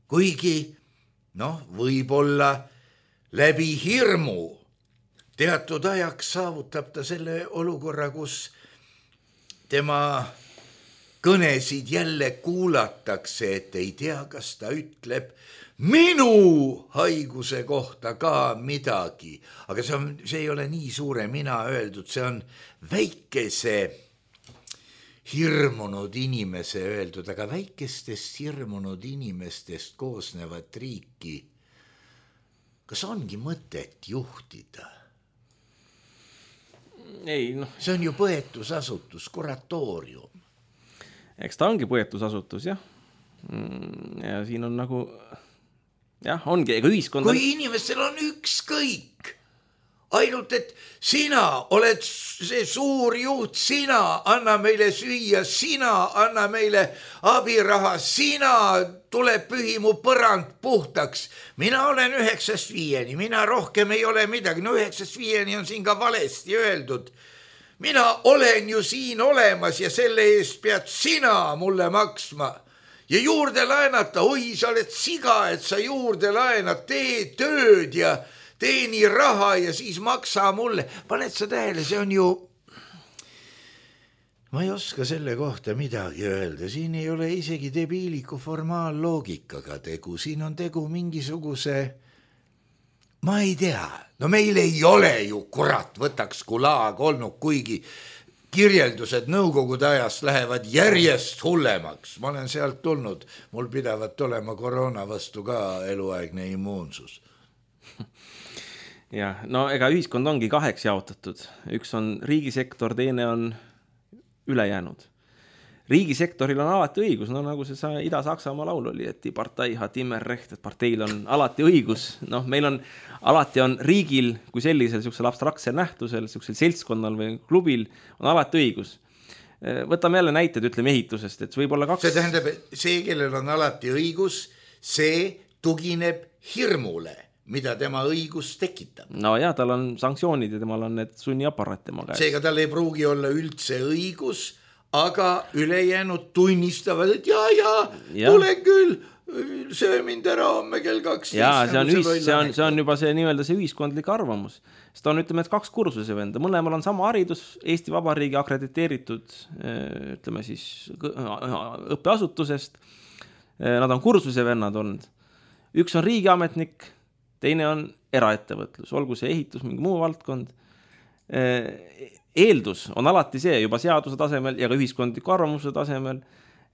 kuigi noh, võib-olla läbi hirmu teatud ajaks saavutab ta selle olukorra, kus tema kõnesid jälle kuulatakse, et ei tea, kas ta ütleb minu haiguse kohta ka midagi. Aga see, on, see ei ole nii suure mina öeldud, see on väikese hirmunud inimese öeldud, aga väikestest hirmunud inimestest koosnevat riiki, kas ongi mõtet juhtida? Ei, noh. See on ju põetusasutus, kuratoorium. Eks ta ongi põetusasutus, jah. Ja siin on nagu, jah, ongi, ega ühiskond... Kui inimestel on ükskõik, ainult, et sina oled see suur juht, sina anna meile süüa, sina anna meile abiraha, sina tuleb pühi mu põrand puhtaks. Mina olen üheksast viieni, mina rohkem ei ole midagi. No üheksast viieni on siin ka valesti öeldud. Mina olen ju siin olemas ja selle eest pead sina mulle maksma. Ja juurde laenata, oi, sa oled siga, et sa juurde laenad, tee tööd ja teeni raha ja siis maksa mulle. Paned sa tähele, see on ju... Ma ei oska selle kohta midagi öelda. Siin ei ole isegi debiiliku formaalloogikaga tegu. Siin on tegu mingisuguse... Ma ei tea. No meil ei ole ju, kurat, võtaks kulaag olnud, kuigi kirjeldused nõukogude ajast lähevad järjest hullemaks. Ma olen sealt tulnud. Mul pidavat olema koroona vastu ka eluaegne immuunsus. Ja, no ega ühiskond ongi kaheks jaotatud. Üks on riigisektor, teine on ülejäänud. Riigisektoril on alati õigus, no nagu see Ida-Saksamaa laul oli, et partei hat immer recht, et parteil on alati õigus. Noh, meil on, alati on riigil kui sellisel sellisel abstraktsel nähtusel, sellisel seltskonnal või klubil on alati õigus. Võtame jälle näited, ütleme ehitusest, et võib olla kaks... See tähendab, see, kellel on alati õigus, see tugineb hirmule, mida tema õigus tekitab. No jah, tal on sanktsioonid ja temal on need sunniaparaat tema käes. Seega tal ei pruugi olla üldse õigus, aga ülejäänud tunnistavad, et jaa, jaa, ja. Tule küll, söö mind ära homme kell kaks. Jaa, see on, ühis, see, on, see on juba see nii-öelda see ühiskondlik arvamus. Seda on, ütleme, et kaks kursuse venda. Mõlemal on sama haridus, Eesti Vabariigi akrediteeritud, ütleme siis, õppeasutusest. Nad on kursuse vennad olnud. Üks on riigiametnik, teine on eraettevõtlus, olgu see ehitus, mingi muu valdkond. Eeldus on alati see juba seaduse tasemel ja ka ühiskondliku arvamuse tasemel,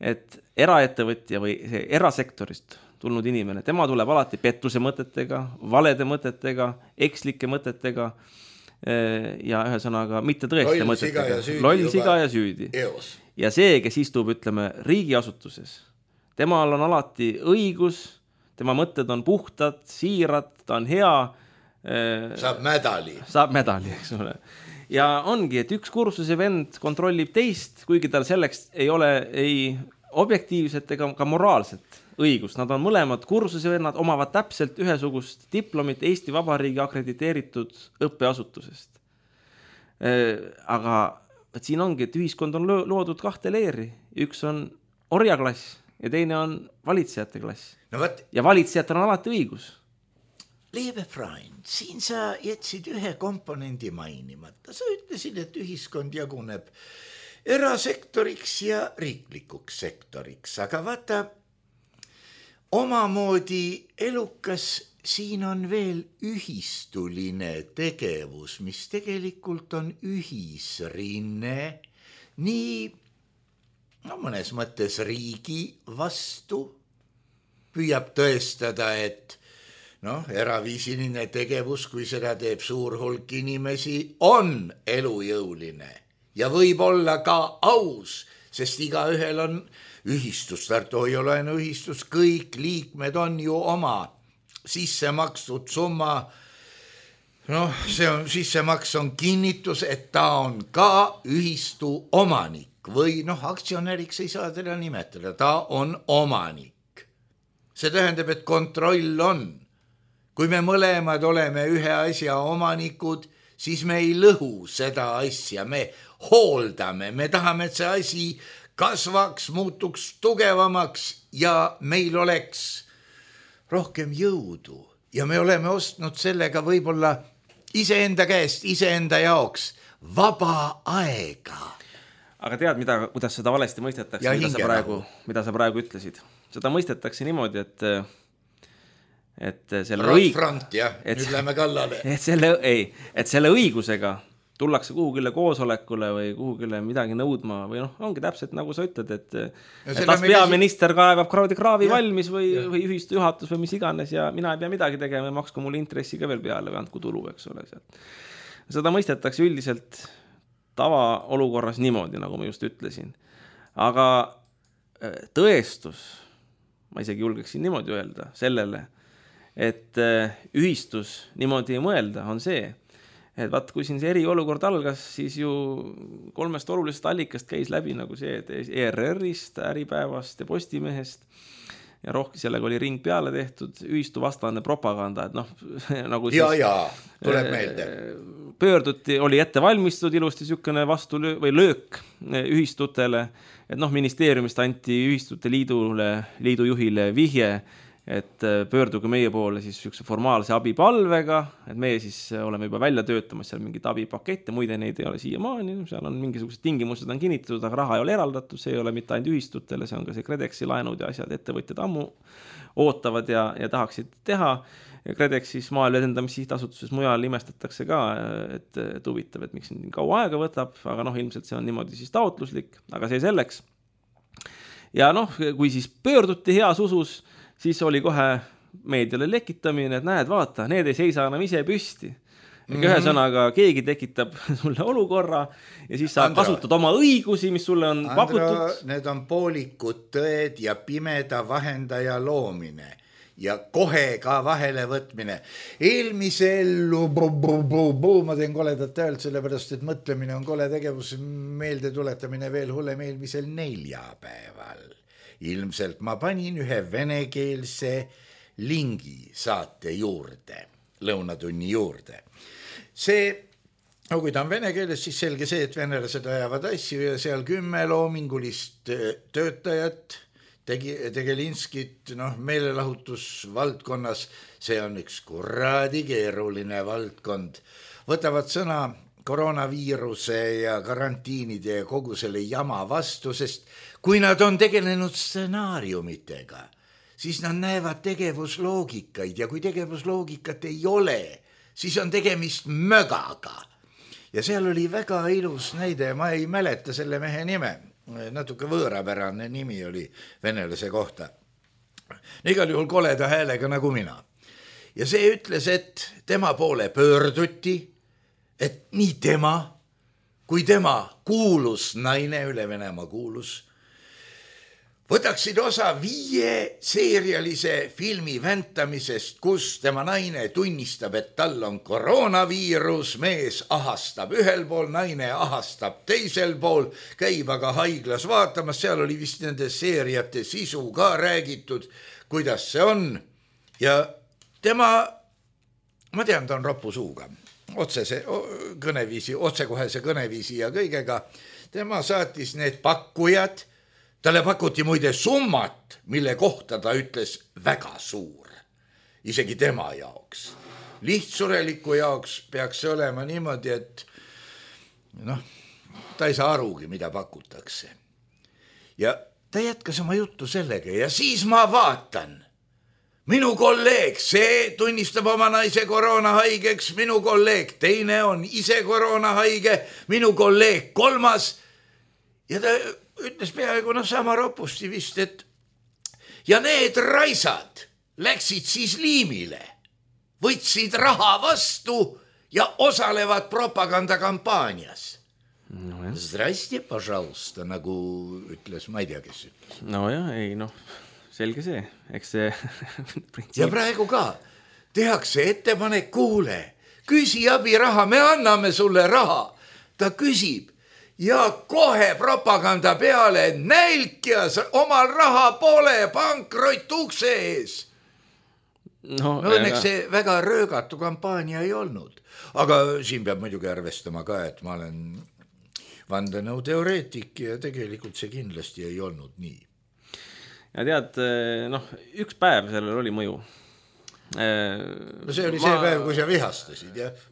et eraettevõtja või see erasektorist tulnud inimene, tema tuleb alati pettuse mõtetega, valede mõtetega, ekslike mõtetega ja ühesõnaga mitte tõeste loll mõtetega. Siga Loll siga ja süüdi. Eos. Ja see, kes istub, ütleme, riigiasutuses, temal on alati õigus, tema mõtted on puhtad, siirad, ta on hea. Saab medali. Saab medali, eks ole. Ja ongi, et üks kursuse vend kontrollib teist, kuigi tal selleks ei ole ei objektiivset ega ka moraalset õigust. Nad on mõlemad kursuse vennad, omavad täpselt ühesugust diplomit Eesti Vabariigi akrediteeritud õppeasutusest. Aga et siin ongi, et ühiskond on loodud kahte leeri. Üks on orjaklass ja teine on valitsejate klass. No võt... Ja valitsejatel on alati õigus. Liebe Freund, siin sa jätsid ühe komponendi mainimata. Sa ütlesid, et ühiskond jaguneb erasektoriks ja riiklikuks sektoriks. Aga vaata, omamoodi elukas siin on veel ühistuline tegevus, mis tegelikult on ühisrinne, nii no, mõnes mõttes riigi vastu püüab tõestada, et noh, eraviisiline tegevus, kui seda teeb suur hulk inimesi, on elujõuline ja võib olla ka aus, sest iga ühel on ühistus, Tartu Hoiulaenu ühistus, kõik liikmed on ju oma sissemakstud summa. Noh, see on, sissemaks on kinnitus, et ta on ka ühistu omanik või noh, aktsionäriks ei saa teda nimetada, ta on omanik. See tähendab, et kontroll on. kui me mõlemad oleme ühe asja omanikud, siis me ei lõhu seda asja, me hooldame, me tahame, et see asi kasvaks, muutuks tugevamaks ja meil oleks rohkem jõudu ja me oleme ostnud sellega võib-olla iseenda käest, iseenda jaoks vaba aega. Aga tead, mida, kuidas seda valesti mõistetakse, mida sa, praegu, mida sa praegu ütlesid? Seda mõistetakse niimoodi, et et selle õig... front, jah, nüüd et, lähme kallale. Et selle, ei, et selle õigusega tullakse kuhugile koosolekule või kuhugile midagi nõudma või noh, ongi täpselt nagu sa ütled, et, et las peaminister kaevab kraavi, kraavi ja, valmis või, või ühistu juhatus või mis iganes ja mina ei pea midagi tegema ja maksku mulle intressi ka veel peale või andku tulu, eks ole. Seda mõistetakse üldiselt tavaolukorras niimoodi, nagu ma just ütlesin. Aga tõestus, ma isegi julgeksin niimoodi öelda sellele, et ühistus niimoodi ei mõelda, on see, et vaat, kui siin see eriolukord algas, siis ju kolmest olulisest allikast käis läbi nagu see, et E R R-ist, Äripäevast ja Postimehest ja rohkem sellega oli ring peale tehtud, ühistu vastane propaganda, et noh, nagu siis... Ja, ja, tuleb meelde. Pöörduti, oli ette valmistunud ilusti sükene vastu löö, või löök ühistutele, et noh, ministeeriumist anti ühistute liidule, liidu juhile vihje, et pöörduge meie poole siis üks formaalse abipalvega, et meie siis oleme juba välja töötamas seal mingit abipakette, muide neid ei ole siiamaani, seal on mingisugused tingimused on kinnitatud, aga raha ei ole eraldatud, see ei ole mitte ainult ühistutele, see on ka see Kredeksi laenud ja asjad, ettevõtjad ammu ootavad ja, ja tahaksid teha. Kredeksis Maaelu Edendamise Sihtasutuses mujal imestatakse ka, et, et huvitav, et miks nii kaua aega võtab, aga noh, ilmselt see on niimoodi siis taotluslik, aga see selleks. Ja noh, kui siis pöörduti heas usus, siis oli kohe meediale lekitamine, et näed, vaata, need ei seisa enam ise püsti. Mm-hmm. Ühe sõnaga keegi tekitab sulle olukorra ja siis sa Andra, kasutad oma õigusi, mis sulle on Andra, pakutud. Need on poolikud tõed ja pimeda vahendaja loomine ja kohe ka vahele võtmine. Eelmisel ma teen koledat häält, sellepärast, et mõtlemine on kole tegevus, meelde tuletamine veel hullem eelmisel neljapäeval. Ilmselt ma panin ühe venekeelse lingi saate juurde, lõunatunni juurde. See, no kui ta on vene keeles, siis selge see, et venelased ajavad asju ja seal kümme loomingulist töötajat, tegi, Tegelinskit, noh, meelelahutusvaldkonnas, see on üks kuradi keeruline valdkond, võtavad sõna koroonaviiruse ja karantiinide ja kogu selle jama vastu, sest kui nad on tegelenud stsenaariumitega, siis nad näevad tegevusloogikaid ja kui tegevusloogikat ei ole, siis on tegemist mögaga. Ja seal oli väga ilus näide, ma ei mäleta selle mehe nime, natuke võõrapärane nimi oli venelase kohta. Igal juhul koleda häälega nagu mina. Ja see ütles, et tema poole pöörduti, et nii tema, kui tema kuulus naine, üle Venemaa kuulus, võtaksid osa viie seerialise filmi väntamisest, kus tema naine tunnistab, et tal on koroonaviirus, mees ahastab ühel pool, naine ahastab teisel pool, käib aga haiglas vaatamas, seal oli vist nende seeriate sisu ka räägitud, kuidas see on. Ja tema, ma tean, ta on ropu suuga, otsese kõneviisi, otsekohese kõneviisi ja kõigega. Tema saatis need pakkujad, talle pakuti muide summat, mille kohta ta ütles väga suur, isegi tema jaoks. Lihtsureliku jaoks peaks see olema niimoodi, et noh, ta ei saa arugi, mida pakutakse. Ja ta jätkas oma juttu sellega ja siis ma vaatan, minu kolleeg, see tunnistab oma naise koroonahaigeks, minu kolleeg teine on ise koroonahaige, minu kolleeg kolmas ja ta ütles peaaegu noh sama ropusti vist, et ja need raisad läksid siis liimile, võtsid raha vastu ja osalevad propagandakampaanias. No, Zdrasti, пожалуйста, nagu ütles, ma ei tea, kes ütles. No jah, ei noh, selge see, eks see printsiip... Ja praegu ka tehakse ettepanek, kuule, küsi abiraha, me anname sulle raha. Ta küsib ja kohe propaganda peale nälkjas omal raha pole, pankrott ukse ees. no, no õnneks aga... see väga röögatu kampaania ei olnud, aga siin peab muidugi arvestama ka, et ma olen vandenõuteoreetik ja tegelikult see kindlasti ei olnud nii. Ja tead, noh, üks päev sellel oli mõju. No see oli ma... see päev, kui sa vihastasid, jah?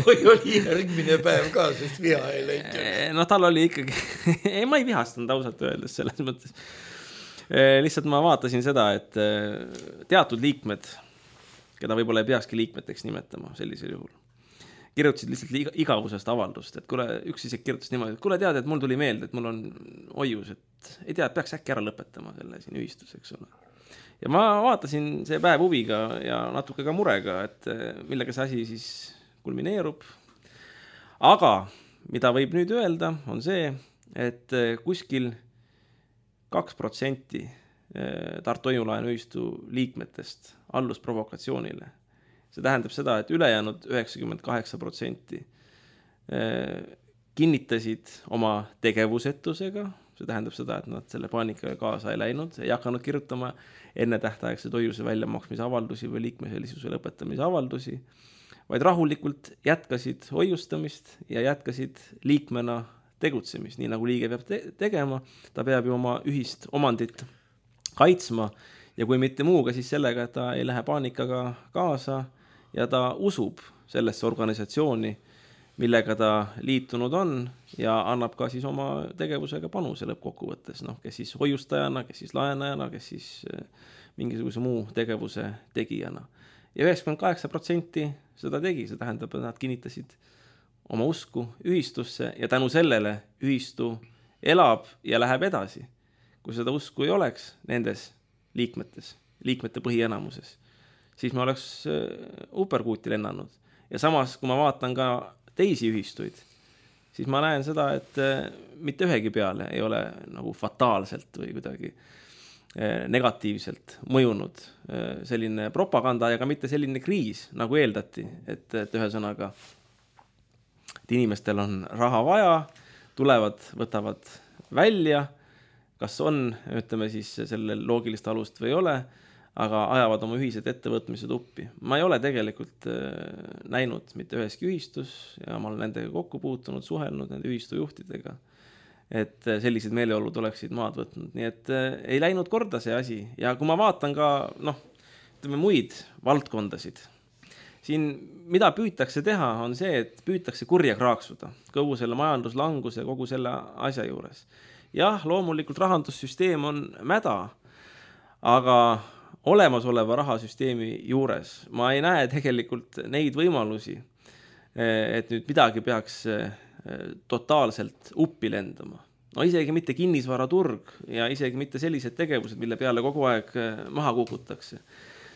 Või oli järgmine päev ka, sest viha ei läinud? No tal oli ikkagi, ei, ma ei vihastanud ausalt öeldes selles mõttes. Lihtsalt ma vaatasin seda, et teatud liikmed, keda võib-olla ei peakski liikmeteks nimetama sellisel juhul, kirjutasid lihtsalt igavusest avaldust, et kuule, üks isegi kirjutas niimoodi, et kuule tead, et mul tuli meelde, et mul on hoius, et ei tea, et peaks äkki ära lõpetama selle siin ühistus, eks ole. Ja ma vaatasin see päev huviga ja natuke ka murega, et millega see asi siis kulmineerub. Aga mida võib nüüd öelda, on see, et kuskil kaks protsenti Tartu Hoiulaenu ühistu liikmetest allus provokatsioonile. See tähendab seda, et ülejäänud üheksakümmend kaheksa protsenti kinnitasid oma tegevusetusega. See tähendab seda, et nad selle paanikaga kaasa ei läinud, ei hakanud kirjutama enne tähtaegse hoiuse väljamaksmise avaldusi või liikmeselisuse lõpetamise avaldusi, vaid rahulikult jätkasid hoiustamist ja jätkasid liikmena tegutsemist, nii nagu liige peab te tegema. Ta peab ju oma ühist omandit kaitsma ja kui mitte muuga, siis sellega, et ta ei lähe paanikaga kaasa ja ta usub sellesse organisatsiooni, millega ta liitunud on ja annab ka siis oma tegevusega panuse lõppkokkuvõttes, noh, kes siis hoiustajana, kes siis laenajana, kes siis mingisuguse muu tegevuse tegijana. Ja üheksakümmend kaheksa protsenti seda tegi, see tähendab, et nad kinnitasid oma usku ühistusse ja tänu sellele ühistu elab ja läheb edasi. Kui seda usku ei oleks nendes liikmetes, liikmete põhienamuses, siis me oleks uperkuuti lennanud. Ja samas, kui ma vaatan ka teisi ühistuid, siis ma näen seda, et mitte ühegi peale ei ole nagu fataalselt või kuidagi negatiivselt mõjunud selline propaganda ja ka mitte selline kriis, nagu eeldati, et, et ühesõnaga, et inimestel on raha vaja, tulevad, võtavad välja, kas on, ütleme siis sellel loogilist alust või ei ole, aga ajavad oma ühised ettevõtmised uppi. Ma ei ole tegelikult näinud mitte üheski ühistus ja ma olen nendega kokku puutunud, suhelnud nende ühistujuhtidega, et sellised meeleolud oleksid maad võtnud. Nii et ei läinud korda see asi. Ja kui ma vaatan ka, noh, ütleme muid valdkondasid, siin mida püütakse teha, on see, et püütakse kurja kraaksuda kogu selle majanduslanguse, kogu selle asja juures. Jah, loomulikult rahandussüsteem on mäda, aga olemasoleva rahasüsteemi juures ma ei näe tegelikult neid võimalusi, et nüüd midagi peaks totaalselt uppi lendama. No isegi mitte kinnisvaraturg ja isegi mitte sellised tegevused, mille peale kogu aeg maha kukutakse.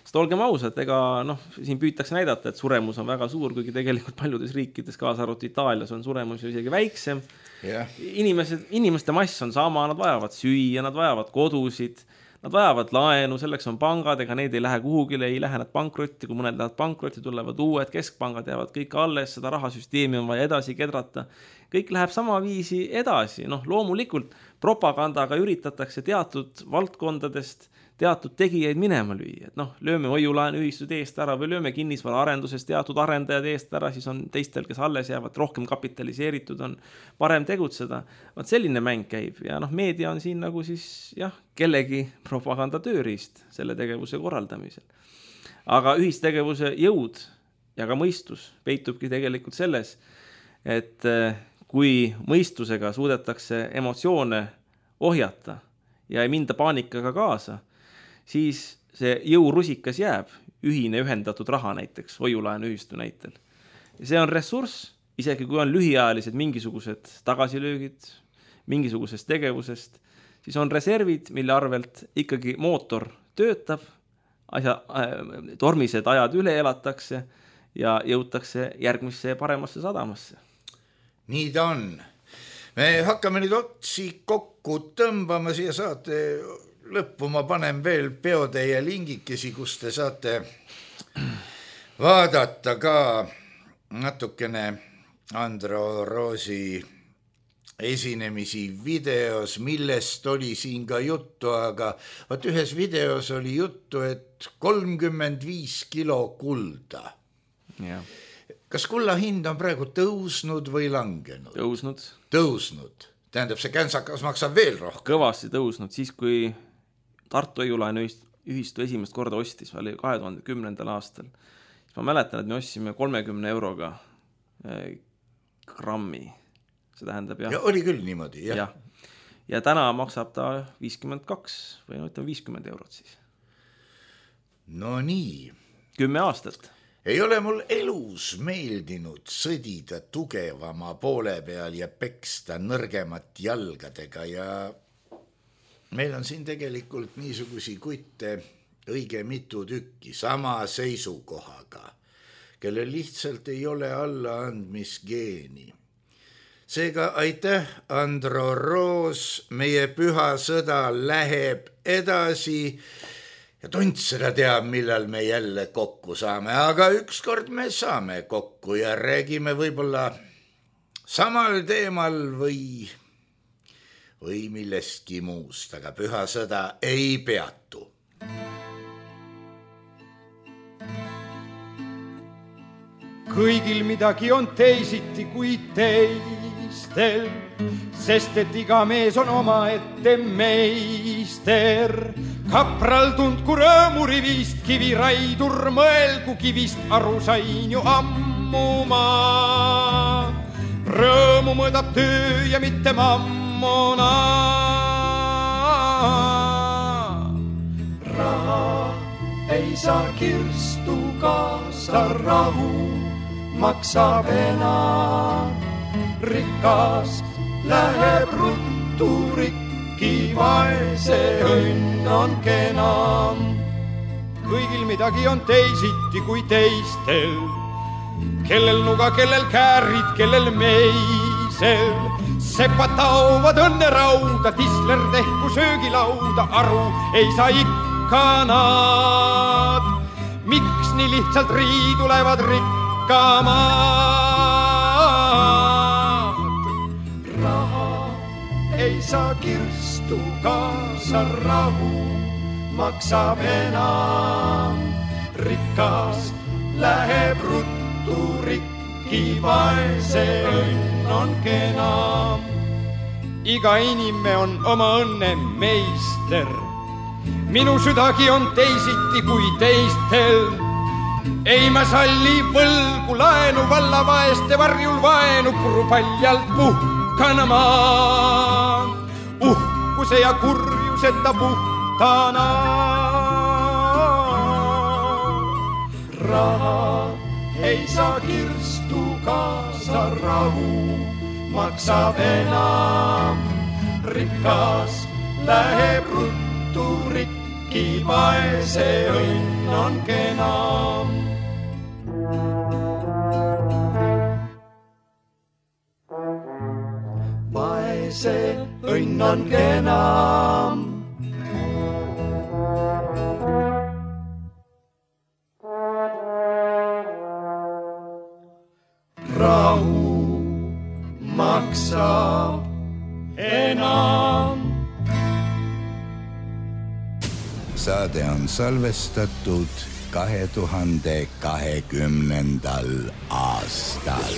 Sest olgem ausad, ega noh, siin püütakse näidata, et suremus on väga suur, kuigi tegelikult paljudes riikides, kaasa arvatud Itaalias, on suremus ju isegi väiksem. Yeah. Inimesed, inimeste mass on sama, nad vajavad süüa, nad vajavad kodusid, nad vajavad laenu, selleks on pangad, ega need ei lähe kuhugile, ei lähe nad pankrotti, kui mõned lähevad pankrotti, tulevad uued, keskpangad jäävad kõik alles, seda rahasüsteemi on vaja edasi kedrata. Kõik läheb sama viisi edasi, noh loomulikult propagandaga üritatakse teatud valdkondadest teatud tegijaid minema lüüa, et noh, lööme hoiulaenu ühistud eest ära või lööme kinnisvara arendusest teatud arendajad eest ära, siis on teistel, kes alles jäävad, rohkem kapitaliseeritud, on parem tegutseda. Vaat selline mäng käib ja noh, meedia on siin nagu siis jah, kellegi propaganda tööriist selle tegevuse korraldamisel. Aga ühistegevuse jõud ja ka mõistus peitubki tegelikult selles, et kui mõistusega suudetakse emotsioone ohjata ja ei minda paanikaga kaasa, siis see jõurusikas jääb, ühine ühendatud raha näiteks, hoiulaenu ühistu näitel. See on ressurss, isegi kui on lühiajalised mingisugused tagasilöögid, mingisugusest tegevusest, siis on reservid, mille arvelt ikkagi mootor töötab, asja, äh, tormised ajad üle elatakse ja jõutakse järgmisse paremasse sadamasse. Nii ta on. Me hakkame nüüd otsi kokku tõmbama siia saate lõppu, ma panen veel peotäie lingikesi, kus te saate vaadata ka natukene Andro Roosi esinemisi videos, millest oli siin ka juttu, aga vaat ühes videos oli juttu, et kolmkümmend viis kilo kulda. Ja. Kas kulla hind on praegu tõusnud või langenud? Tõusnud. Tõusnud. Tähendab, see känsakas maksab veel rohkem. Kõvasti tõusnud, siis kui Tartu Õiulaenu ühistu esimest korda ostis, oli kahe tuhande kümnendal aastal. Siis ma mäletan, et me ostsime kolmekümne euroga grammi. See tähendab, jah. Ja oli küll niimoodi, jah. Ja, ja täna maksab ta viiskümmend kaks või no ütleme viiskümmend eurot siis. No nii. Kümme aastat. Ei ole mul elus meeldinud sõdida tugevama poole peal ja peksta nõrgemat jalgadega ja meil on siin tegelikult niisugusi kutte õige mitu tükki sama seisukohaga, kellel lihtsalt ei ole allaandmisgeeni. Seega aitäh, Andro Roos, meie püha sõda läheb edasi ja tont seda teab, millal me jälle kokku saame, aga ükskord me saame kokku ja räägime võib-olla samal teemal või, või millestki muust, aga püha sõda ei peatu. Kõigil midagi on teisiti kui teistel, sest et iga mees on oma ette meister. Kapral tundku rõõmurivist, kiviraidur mõelgu kivist, aru sain ju ammu ma. Rõõmu mõõdab töö ja mitte mammona. Raha ei saa kirstu kaasa rahu, maksab enam. Rikas läheb ruttu rikki, vaese õnn on kenam. Kõigil midagi on teisiti kui teistel, kellel nuga, kellel käärid, kellel meisel. Sepad taovad õnne rauda, tisler tehku söögilauda, aru ei saa ikka nad. Miks nii lihtsalt riidu lähevad rikkamad? Raha ei saa kirstu kaasa rahu, maksab enam. Rikas läheb ruttu rikki, vaese õnn on kenam. Iga inime on oma õnne meister, minu südagi on teisiti kui teistel. Ei ma salli võlgu laenu, valla vaeste varjul vaenu, puru paljalt puhkana maa. Uhkuse ja kurjuseta puhtana. Raha ei saa kirstu kaasa rahu, maksab enam. Rikas läheb ruttu rikki, vaese õnn on kenam. Vaese õnn on kenam. Rahu maksab enam. Saade on salvestatud kahe tuhande kahekümnendal aastal.